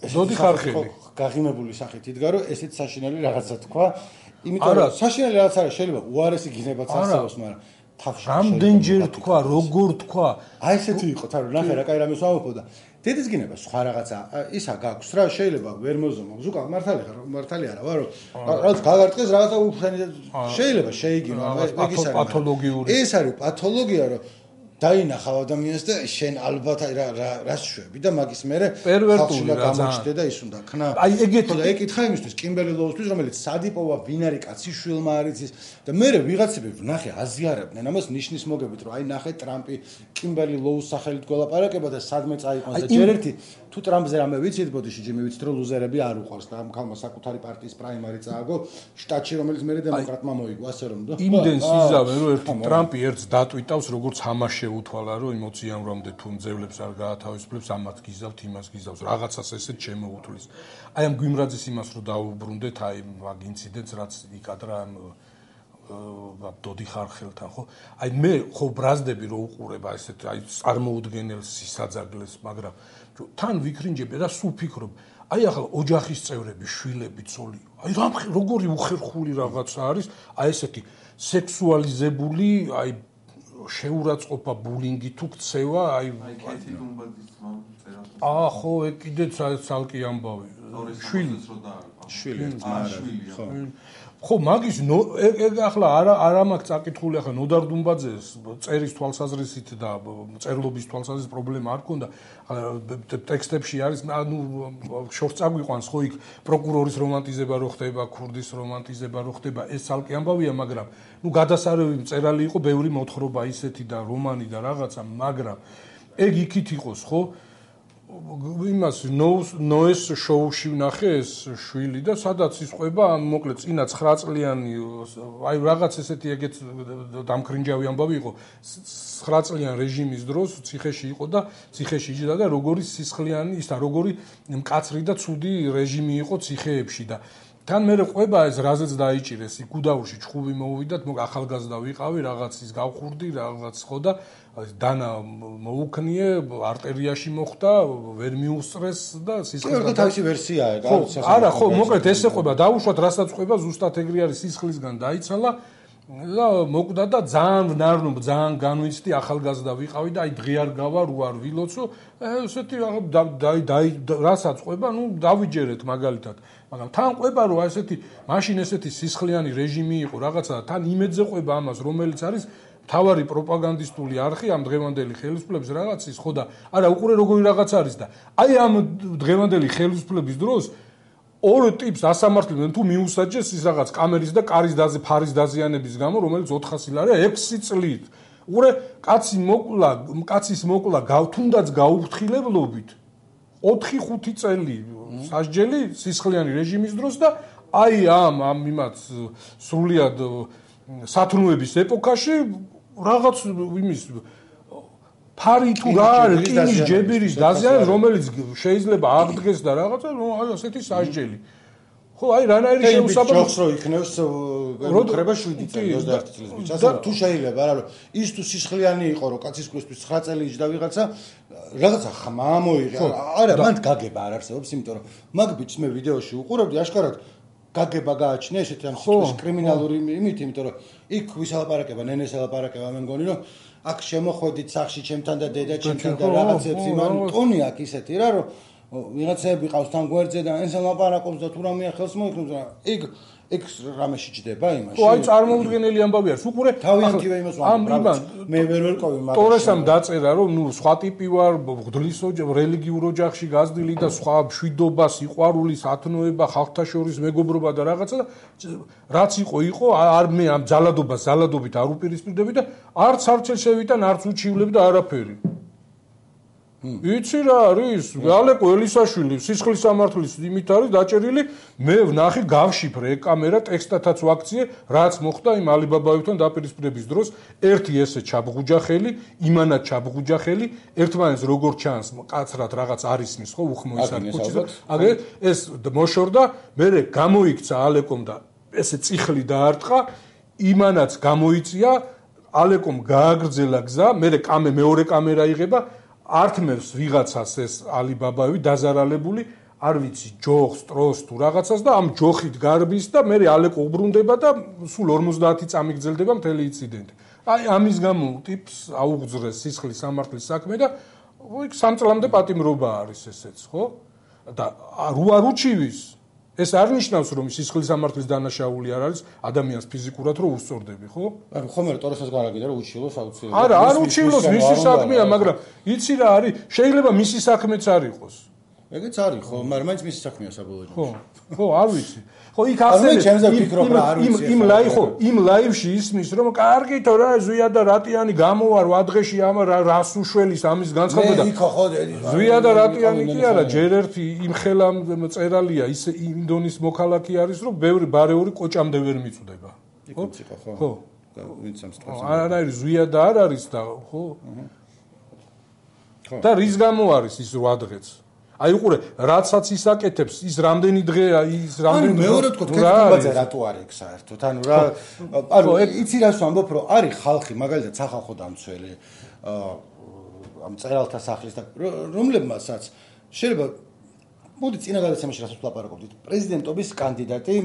დოდი ხარხელი გაღიმებული სახით იდგა რომ ესეც საშინელი რაღაცა თქვა იმიტომ რომ საშინელი რაღაც არა შეიძლება უარესი გინებაც არსებობს მაგრამ თავში რამდენჯერ თქვა როგორ თქვა აი ესეთი იყო თან ნახე რა კაი რამე ვამბობ და დედის გინება სხვა რაღაცა ისა გაქვს რა შეიძლება ვერ მოზომო ზუკა მართალი არა ვარო რაღაც გაგარტყეს რაღაცა უფრენი შეიძლება შეიგინო ეგ ის არის პათოლოგიური ეს არის პათოლოგია რომ დაინახავ ადამიანს და შენ ალბათ რა შვები და მაგის მერე პერვერტული რა გამოჩნდა და ის უნდა ქნა აი ეგეთი და ეკითხა იმისთვის კიმბერლი ლოუსთვის რომელიც სადიპოვა ვინ არის კაცი შვილმა არის ის და მერე ვიღაცები ვნახე აზიარებდნენ ამას ნიშნის მოგებით რომ აი ნახე ტრამპი კიმბერლი ლოუს სახელით გველაპარაკება და სადმე წაიყვანს და ჯერ ერთი თუ ტრამპზე რამე ვიცით ბოდიში ჯიმი ვიცით რომ ლუზერები არ უყვარს და ამ ქალმა საკუთარი პარტიის პრაიმარი წააგო შტატში რომელიც მერე დემოკრატმა მოიგო ასე რომ და იმდენს იზავენ რომ ერთი ტრამპი ერთს დატვიტავს როგორც ამაში უთვალა რომ ემოციამდე თუ მძევლებს არ გაათავისუფლებს ამათ გიზავთ იმას გიზავს რაღაცას ესეთ შემოუთვლის აი ამ გვიმრაძის იმას რომ დაუბრუნდეთ აი მაგ ინციდენტს რაც იქადრა ამ დოდი ხარხელთან ხო აი მე ხო ბრაზდები რომ უყურებ ესეთ აი წარმოუდგენელ სისაძაგლეს მაგრამ თან ვიქრინჯები და სულ ფიქრობ აი ახლა ოჯახის წევრები შვილები ცოლი აი როგორი უხერხული რაღაცა არის აი ესეთი სექსუალიზებული აი შეურაცხყოფა ბულინგი თუ ქცევა აი კეთი დუმბაძის წერა ხო ეგ კიდე ცალკე ამბავი შვილი ხო ხო მაგის ეგ ახლა არა მაქვს წაკითხული ახლა ნოდარ დუმბაძეს წერის თვალსაზრისით და წერლობის თვალსაზრისით პრობლემა არ ქონდა ტექსტებში არის ანუ შორს წაგვიყვანს ხო იქ პროკურორის რომანტიზება რო ხდება ქურდის რომანტიზება რო ხდება ეს ცალკე ამბავია მაგრამ ნუ გადასარევი წერალი იყო ბევრი მოთხრობა ისეთი და რომანი და რაღაცა მაგრამ ეგ იქით იყოს ხო იმას ნოეს შოუში ვნახე ეს შვილი და სადაც ისყვება მოკლედ წინა 9 წლიანი აი რაღაც ესეთი ეგეც დამქრინჯავი ამბავი იყო 9 წლიან რეჟიმის დროს ციხეში იყო და ციხეში იჯდა და როგორი სისხლიანი ის და როგორი მკაცრი და ცუდი რეჟიმი იყო ციხეებში და თან მე ყვება ეს რაზეც დაიჭირეს გუდაურში ჩხუბი მოვიდათ ახალგაზრდა ვიყავი რაღაც ის გავხურდი რაღაც ხო და დანა მოუქნიე არტერიაში მოხდა ვერ მიუსწრეს და სისხლისგან თავისი ვერსიაა არა ხო მოკლედ ეს ეყვება დაუშვათ რასაც ყვება ზუსტად ეგრე არის სისხლისგან დაიცალა და მოკვდა და ძალიან ვნარნო ძალიან განვიცდი ახალგაზრდა ვიყავი და აი დღე არ გავა რო არ ვილოცო ესეთი რასაც ყვება ნუ დავიჯერეთ მაგალითად მაგრამ თან ყვება რომ ესეთი მაშინ ესეთი სისხლიანი რეჟიმი იყო რაღაცა თან იმედზე ყვება ამას რომელიც არის თავარი პროპაგანდისტული არხი ამ დღევანდელი ხელისუფლების რაღაცის ხო და არა უყურე როგორი რაღაც არის და აი ამ დღევანდელი ხელისუფლების დროს ორ ტიპს ასამართლებენ თუ მიუსაჯეს ის რაღაც კამერის და კარის ფარის დაზიანების გამო რომელიც 400 ლარია 6 წლით უყურე კაცის მოკლა თუნდაც გაუფრთხილებლობით 4-5 წელი სასჯელი სისხლიანი რეჟიმის დროს და აი ამ იმათ სრულიად სათნოების ეპოქაში რაღაც იმის ფარი თუ რა არის კინის ჯებირის დაზიანება რომელიც შეიძლება აღდგეს და რაღაცა აი ასეთი სასჯელი ხო, აი რანაირი შეუსაბამო ჯოხს რო იქნევს ემუქრება 7 წელი 21 წლის ბიჭს. ასე თუ შეიძლება არა რომ ის თუ სისხლიანი იყო რომ კაცის კვისთვის 9 წელი იჯდა ვიღაცა რაღაცა ხმა მოიღე. არა, მანდ გაგება არ არსებობს, იმიტომ რომ მაგ ბიჭს მე ვიდეოში უყურებდი აშკარად გაგება გააჩნია ესეთი ამ სიტყვის კრიმინალური იმით, იმიტომ რომ იქ ვისალაპარაკება, ნენეს ელაპარაკება, მე მგონი რომ აქ შემოხვედით სახში ჩემთან და დედა ჩემთან და რაღაცებს იმან ტონი აქ ისეთი რა რომ ვიღაცები ყავს თან გვერდზე და ეს ლაპარაკობს და თუ რამე ხელს მოიქნებს რა იქ რამე შეჭდება იმაში. ხო, აი წარმოუდგენელი ამბავი არის. უყურე თავიანთივე იმას ვამბობ. მე ვერ ვერკოვი მაგას. ტორესამ დაწერა რომ ნუ სხვა ტიპი ვარ, გდლის რელიგიურ ოჯახში გაზრდილი და სხვა მშვიდობა, სიყვარული, სათნოება, ხალხთა შორის მეგობრობა და რაღაცა და რაც იყო, არ მე ამ ძალადობით არ უპირისპირდები და არც არჩელ შევიტან, არც უჩივლებ და არაფერი. იცი რა არის? ალეკო ელისაშვილი სისხლის სამართლის იმით არის დაჭერილი. მე ვნახე გავშიფრე კამერა ტექსტათაც ვაქციე, რაც მოხდა იმ ალიბაბაებთან დაპირისპირების დროს. ერთი ესე ჩაბღუჯა ხელი, იმანად ჩაბღუჯა ხელი, ერთმანეთს როგორ ჩანს, კაცრად რაღაც არის მის ხო უხმო ის არის ქუჩის. აგე ეს მოშორდა, მე გამოიქცა ალეკომ და ესე წიხლი დაარტყა, იმანაც გამოიწია, ალეკომ გააგრძელა გზა, მე მეორე კამერა იღება ართმევს ვიღაცას ეს ალიბაბაევი დაზარალებული, არ ვიცი, ჯოხს, ტროს თუ რაღაცას და ამ ჯოხით გარბის და მე ალეკო უბრუნდება და სულ 50 წამი გრძელდება მთელი ინციდენტი. აი ამის გამო ტიპს აუგზრეს სისხლის სამართლის საქმე და იქ 3 წლამდე პატიმრობა არის ესეც, ხო? და რო არ უჩივის ეს არ ნიშნავს რომ სისხლის სამართლის დანაშაული არ არის ადამიანს ფიზიკურად რო უსწორდები, ხო? ანუ ხომ ტორესას გარაგიდა რომ უჩივლოს აუცილებლად. არა, არ უჩივლოს, მისი საქმეა, მაგრამ იცი რა არის, შეიძლება მისი საქმეც არ იყოს. ეგეც არის, ხო, მაგრამ მაინც მისი საქმეა საბოლოო. ხო, არ ვიცი. ხო, იქ ახსენე იმ ლაივში ისმის რომ კარგითო რა ზვია და რატიანი გამოვარ ვადღეში ამ რას უშველის ამის განცხადება და ზვია და რატიანი კი არა, ჯერ ერთი იმ ხელა წერალია ის ინდონის მოქალაქე არის რომ ბევრი ბარეული კოჭამდე ვერ მიწვდება. ხო? ვინც ამ სიტყვას. არა, ზვია და არ არის და ხო? და რის გამო არის ის 8 დღეც? აი უყურე, რაცაც ისაკეთებს, ის რამდენი დღეა, ის რამდენი მეორე თქო, კეთილობაზე რატო არ იქ საერთოდ? ანუ რა, ანუ იცი რას ვამბობ, რომ არის ხალხი, მაგალითად სახალხო დამცველი, ამ წერალთა სახლის და რომლებმასაც შეიძლება მოდი წინა გადაცემაში რასაც ვლაპარაკობდით, პრეზიდენტობის კანდიდატი,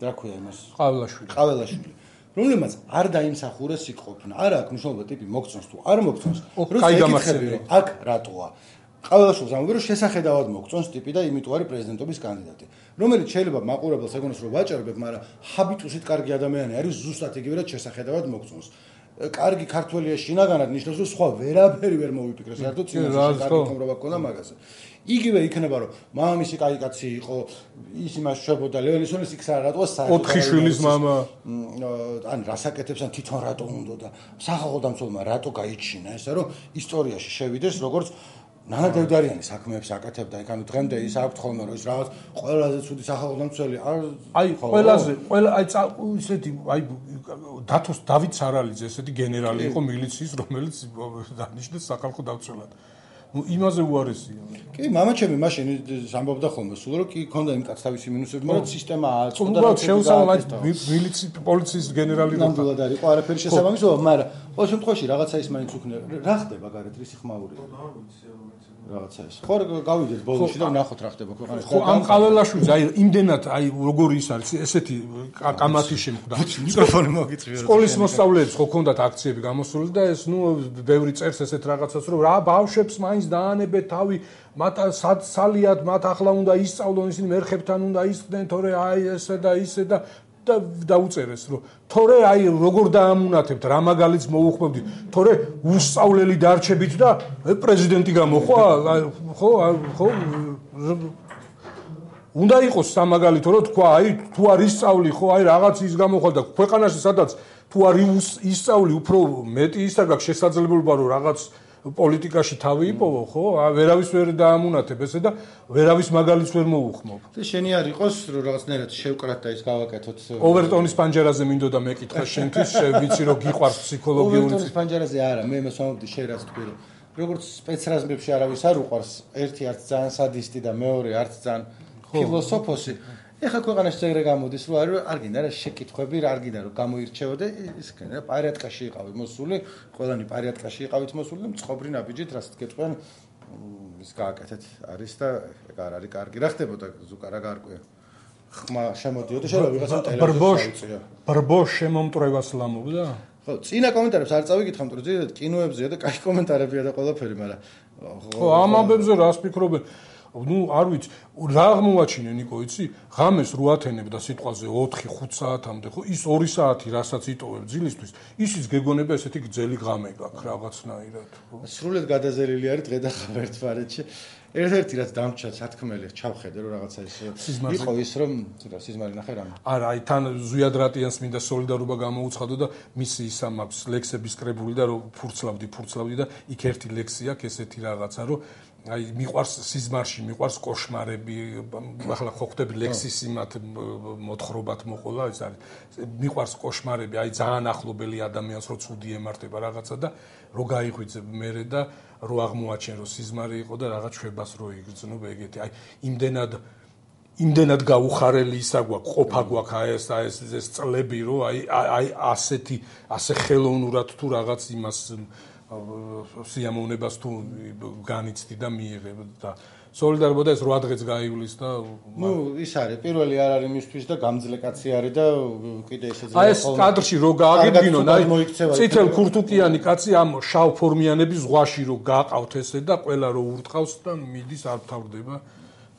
რა ქვია იმას? ყაველაშვილი. რომლებმაც არ დაიმსახურეს იქ ყოფნა. არა აქვს მნიშვნელობა ტიპი მოგწონს თუ არ მოგწონს. აქ რატოა? ყაველაშვილს ამბობ რომ შესახედავად მოგწონს ტიპი და იმიტომ არის პრეზიდენტობის კანდიდატი. რომელიც შეიძლება მაყურებელს ეგონოს რომ ვაჭარბებ, მაგრამ ჰაბიტუსით კარგი ადამიანი არის, ზუსტად იგივე რაც შესახედავად მოგწონს. კარგი ქართველია შინაგანად ნიშნავს რომ სხვა ვერაფერი ვერ მოვიფიქრე, საერთოდ წინასწარ კარგი ხმრობა გქონდა მაგაზე. იგივე იქნება რომ მამამისი კაი კაცი იყო, ის იმას შვებოდა ლეველისონის იქ რატოა საერთოდ 4 შვილის მამა ან რასაკეთებს ან თვითონ რატო უნდა და სახალხო დამცველმა რატო გაიჩინა ესა რომ ისტორიაში შევიდეს როგორც ნანა დევდარიანი საქმეებს აკეთებდა, იქ ანუ დღემდე ის აქვთ ხოლმე რომ ის რაღაც ყველაზე ცუდი სახალხო დამცველი აი ყველაზე ისეთი აი დათოს დავით სარალიძე ესეთი გენერალი იყო მილიციის რომელიც დანიშნეს სახალხო დამცველად. ნუ იმაზე უარესია. კი, მამაჩემი მაშინ ამბობდა ხოლმე სულ რომ კი ქონდა იმ კაც თავისი მინუსები, მაგრამ სისტემა აწყობდა და შეუსაბამად მილიციის პოლიციის გენერალი ნამდვილად არ იყო არაფერი შესაბამისობა, მაგრამ ყოველ შემთხვევაში რაღაცა ის მაინც უქნება. რა ხდება გარეთ რისი ხმაურია? რაღაცა ეს. ხო გავიდეთ ბოლოში და ვნახოთ რა ხდება ქვეყანაში. ხო ამ ყაველაშვილს აი იმდენად აი როგორი ის არის ესეთი კამათი შემხდა. მიკროფონი მოგიწვია. სკოლის მოსწავლეებს ხო ქონდათ აქციები გამოსული და ეს ნუ ბევრი წერს ესეთ რაღაცას რომ რა ბავშვებს მაინც დაანებეთ თავი მათ სალიად მათ ახლა უნდა ისწავლონ ისინი მერხებთან უნდა ისხდნენ თორე აი ესე და ისე და დაუწერეს რომ თორე აი როგორ დაამუნათებთ რა მაგალითს მოუხმობდით თორე უსწავლელი დარჩებით და პრეზიდენტი გამოხვა ხო უნდა იყოს სამაგალითო რომ თქვა აი თუ არ ისწავლი ხო აი რაღაც ის გამოხვალ და ქვეყანაში სადაც თუ არ ისწავლი უფრო მეტი ის არ გაქვს შესაძლებლობა რომ რაღაც პოლიტიკაში თავი იპოვო ხო ვერავის ვერ დაამუნათებ ესე და ვერავის მაგალითს ვერ მოუხმობ. შენი არ იყოს რომ რაღაცნაირად შევკრათ და ის გავაკეთოთ. ოვერტონის პანჯერაზე მინდოდა მეკითხა შენთვის ვიცი რომ გიყვარს ფსიქოლოგიური. ოვერტონის პანჯერაზე არა მე იმას ვამბობდი შენ რაც თქვი რომ როგორც სპეცრაზმებში არავის არ უყვარს ერთი არც ძალიან სადისტი და მეორე არც ძალიან ფილოსოფოსი ეხლა ქვეყანაში ეგრე გამოდის, რომ არ გინდა რა შეკითხვები, არ გინდა რომ გამოირჩევოდე, ის რა პარიატკაში იყავით მოსული, ყველანი პარიატკაში იყავით მოსული და მწყობრი ნაბიჯით რასაც გეტყვიან ის გააკეთეთ არის და ეგ არ არის კარგი. რა ხდებოდა ზუკა რა გარკვეა? ხმა შემოდიოდა შეიძლება ვიღაცამ ტელევიზორში ბრბოშ შემომტრევას ლამობდა? ხო, წინა კომენტარებს არ წავიკითხე, მაგრამ ზედათ კინოებზეა და კაი კომენტარებია და ყველაფერი, მაგრამ ხო, ამ ამბებზე რას ფიქრობენ? Ну, არ ვიცი, რა აღმოაჩინე ნიკო, იცი? ღამეს 8 ათენებდა სიტყვაზე 4-5 საათამდე, ხო? ის 2 საათი, რასაც იტოვებ ძილისთვის, ისიც გეგონება ესეთი გძელი ღამე გაქვს რაღაცნაირად, ხო? სრულიად გადაზელილი არის დღე და ხარ ერთმანეთში. ერთ-ერთი რაც დამჭა სათქმელი ჩავხედე რომ რაღაცა ის იყო ის რომ სიზმარი ნახე რამე. არა, აი თან ზვიად რატიანს მინდა სოლიდარობა გამოუცხადო და მისი ის ამაქვს ლექსების კრებული და რომ ფურცლავდი და იქ ერთი ლექსი აქვს ესეთი რაღაცა რომ აი მიყვარს სიზმარში, მიყვარს კოშმარები, ახლა ხო ხვდები ლექსის იმათ მოთხრობათ მოყოლა, ეს არის მიყვარს კოშმარები, აი ძალიან ახლობელი ადამიანს რო ცუდი ემართება რაღაცა და რო გაიღვიძებ მერე და რო აღმოაჩენ რომ სიზმარი იყო და რაღაც შვებას რო იგრძნო ეგეთი, აი იმდენად გაუხარელი ისა გვაქვს, ყოფა გვაქვს ეს წლები რო აი ასე ხელოვნურად თუ რაღაც იმას სიამოვნებას თუ განიცდი და მიიღებ და სოლიდარობა და ეს 8 დღეც გაივლის და ნუ ის არის პირველი არ არის მისთვის და გამძლე კაცი არის და კიდე ესეძლება აი ეს კადრში რო გააგებინონ აი წითელ ქურთუკიანი კაცი ამ შავ ფორმიანების ზღვაში რო გაყავთ ესე და ყველა რო ურტყავს და მიდის არ თავდება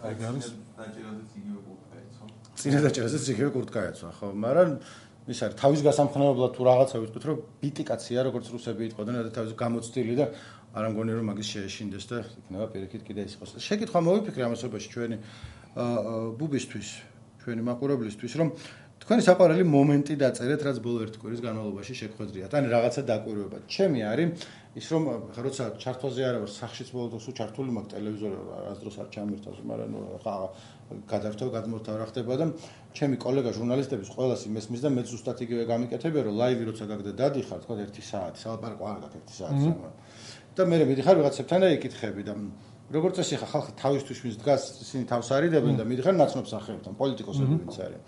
აი არის დაჭერაზეც იგივე კურტკაეცვა წინა დაჭერაზეც იგივე კურტკაეცვა ხო მაგრამ ის არის თავის გასამხნევებლად თუ რაღაცა ვიტყვით რომ ბიტი კაცია როგორც რუსები იტყვოდნენ და თავის გამოცდილი და არ ამგონი რომ მაგის შეეშინდეს და იქნება პირიქით კიდე ის იყოს. შეკითხვა მოვიფიქრე ამასობაში ჩვენი ბუბისთვის, ჩვენი მაყურებლისთვის რომ თქვენი საყვარელი მომენტი დაწერეთ, რაც ბოლო ერთი კვირის განმავლობაში შეგხვედრიათ. ან რაღაცა დაკვირვებათ. ჩემი არის ის რომ როცა ჩართვაზე არა ვარ, სახშიც ბოლო დროს ჩართული მაქვს ტელევიზორი არასდროს არ ჩამერთავს, მაგრამ ხა გადავთავ გადმოთავ რა ხდება და ჩემი კოლეგა ჟურნალისტების ყველას იმესმის და მე ზუსტად იგივე გამიკეთებია რომ ლაივი როცა გაგდა დადიხარ, თქვა 1 საათი, სალაპარაკო არ გაქვს 1 საათი. და მე მიდიხარ ვიღაცებთან და იკითხები და როგორც წესი ხა ხალხი თავისთვის მის დგას ისინი თავს არიდებენ და მიდიხარ ნაცნობს ახერებთან პოლიტიკოსები ვინც არის.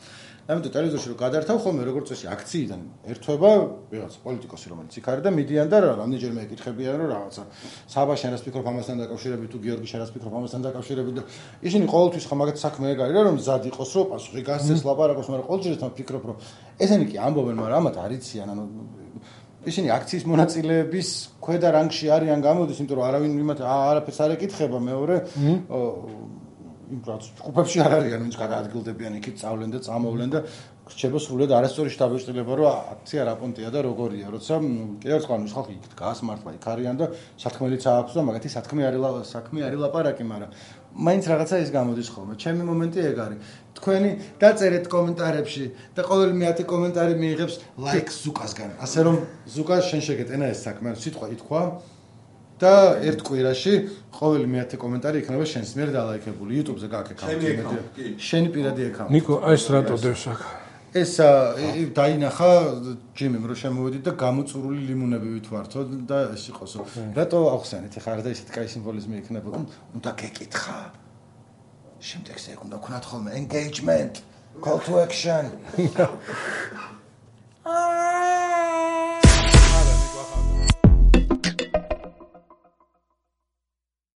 ამიტომ ტელევიზორში რომ გადართავ ხოლმე როგორც წესი აქციიდან ერთვება ვიღაც პოლიტიკოსი რომელიც იქ არის და მიდიან და რამდენჯერმე ეკითხებიან რომ რაღაცა საბაში რას ფიქრობ ამასთან დაკავშირებით თუ გიორგი რას ფიქრობ ამასთან დაკავშირებით და ისინი ყოველთვის ხა მაგათ საქმე ეგ არის რომ მზად იყოს რომ პასუხი გასცეს ლაპარაკოს მაგრამ ყოველთვის თან ფიქრობ რომ ესენი კი ამბობენ მაგრამ ამათ არიციან ანუ ისინი აქციის მონაწილეების ქვედა რანგში არიან გამოდის იმიტომ რომ არავინ იმათ არაფერს არ ეკითხება მეორე იმ პროცესში ჯგუფებში არ არიან ვინც გადაადგილდებიან იქით წავლენ და წამოვლენ და რჩება სრულიად არასწორი შტაბეჭდილება რომ აქცია რა პონტია და როგორია როცა კიდევ ერთხელ ის ხალხი იქით გას მართლა იქ არიან და სათქმელიც აქვს და მაგათი საქმე არის ლაპარაკი მაგრამ მაინც რაღაცა ის გამოდის ხოლმე ჩემი მომენტი ეგ არის თქვენი დაწერეთ კომენტარებში და ყოველი მეათე კომენტარი მიიღებს ლაიქს ზუკასგან ასე რომ ზუკა შენ შეგეტენა ეს საქმე სიტყვა ითქვა და ერთ კვირაში ყოველი მეათე კომენტარი იქნება შენს მიერ დალაიქებული YouTube-ზე გააკეთე აკაუნტი შენი პირადი აკაუნტი ნიკო ეს რატო დევს აქ ეს დაინახა ჯიმიმ რომ შემოვედით და გამოწურული ლიმონები ვითვართო და ეს იყოსო რატო ახსენეთ ეხლა რა და ისეთი კაი სიმბოლიზმი იქნებოდა უნდა გეკითხა შემდეგზე უნდა ვქნათ ხოლმე engagement call to action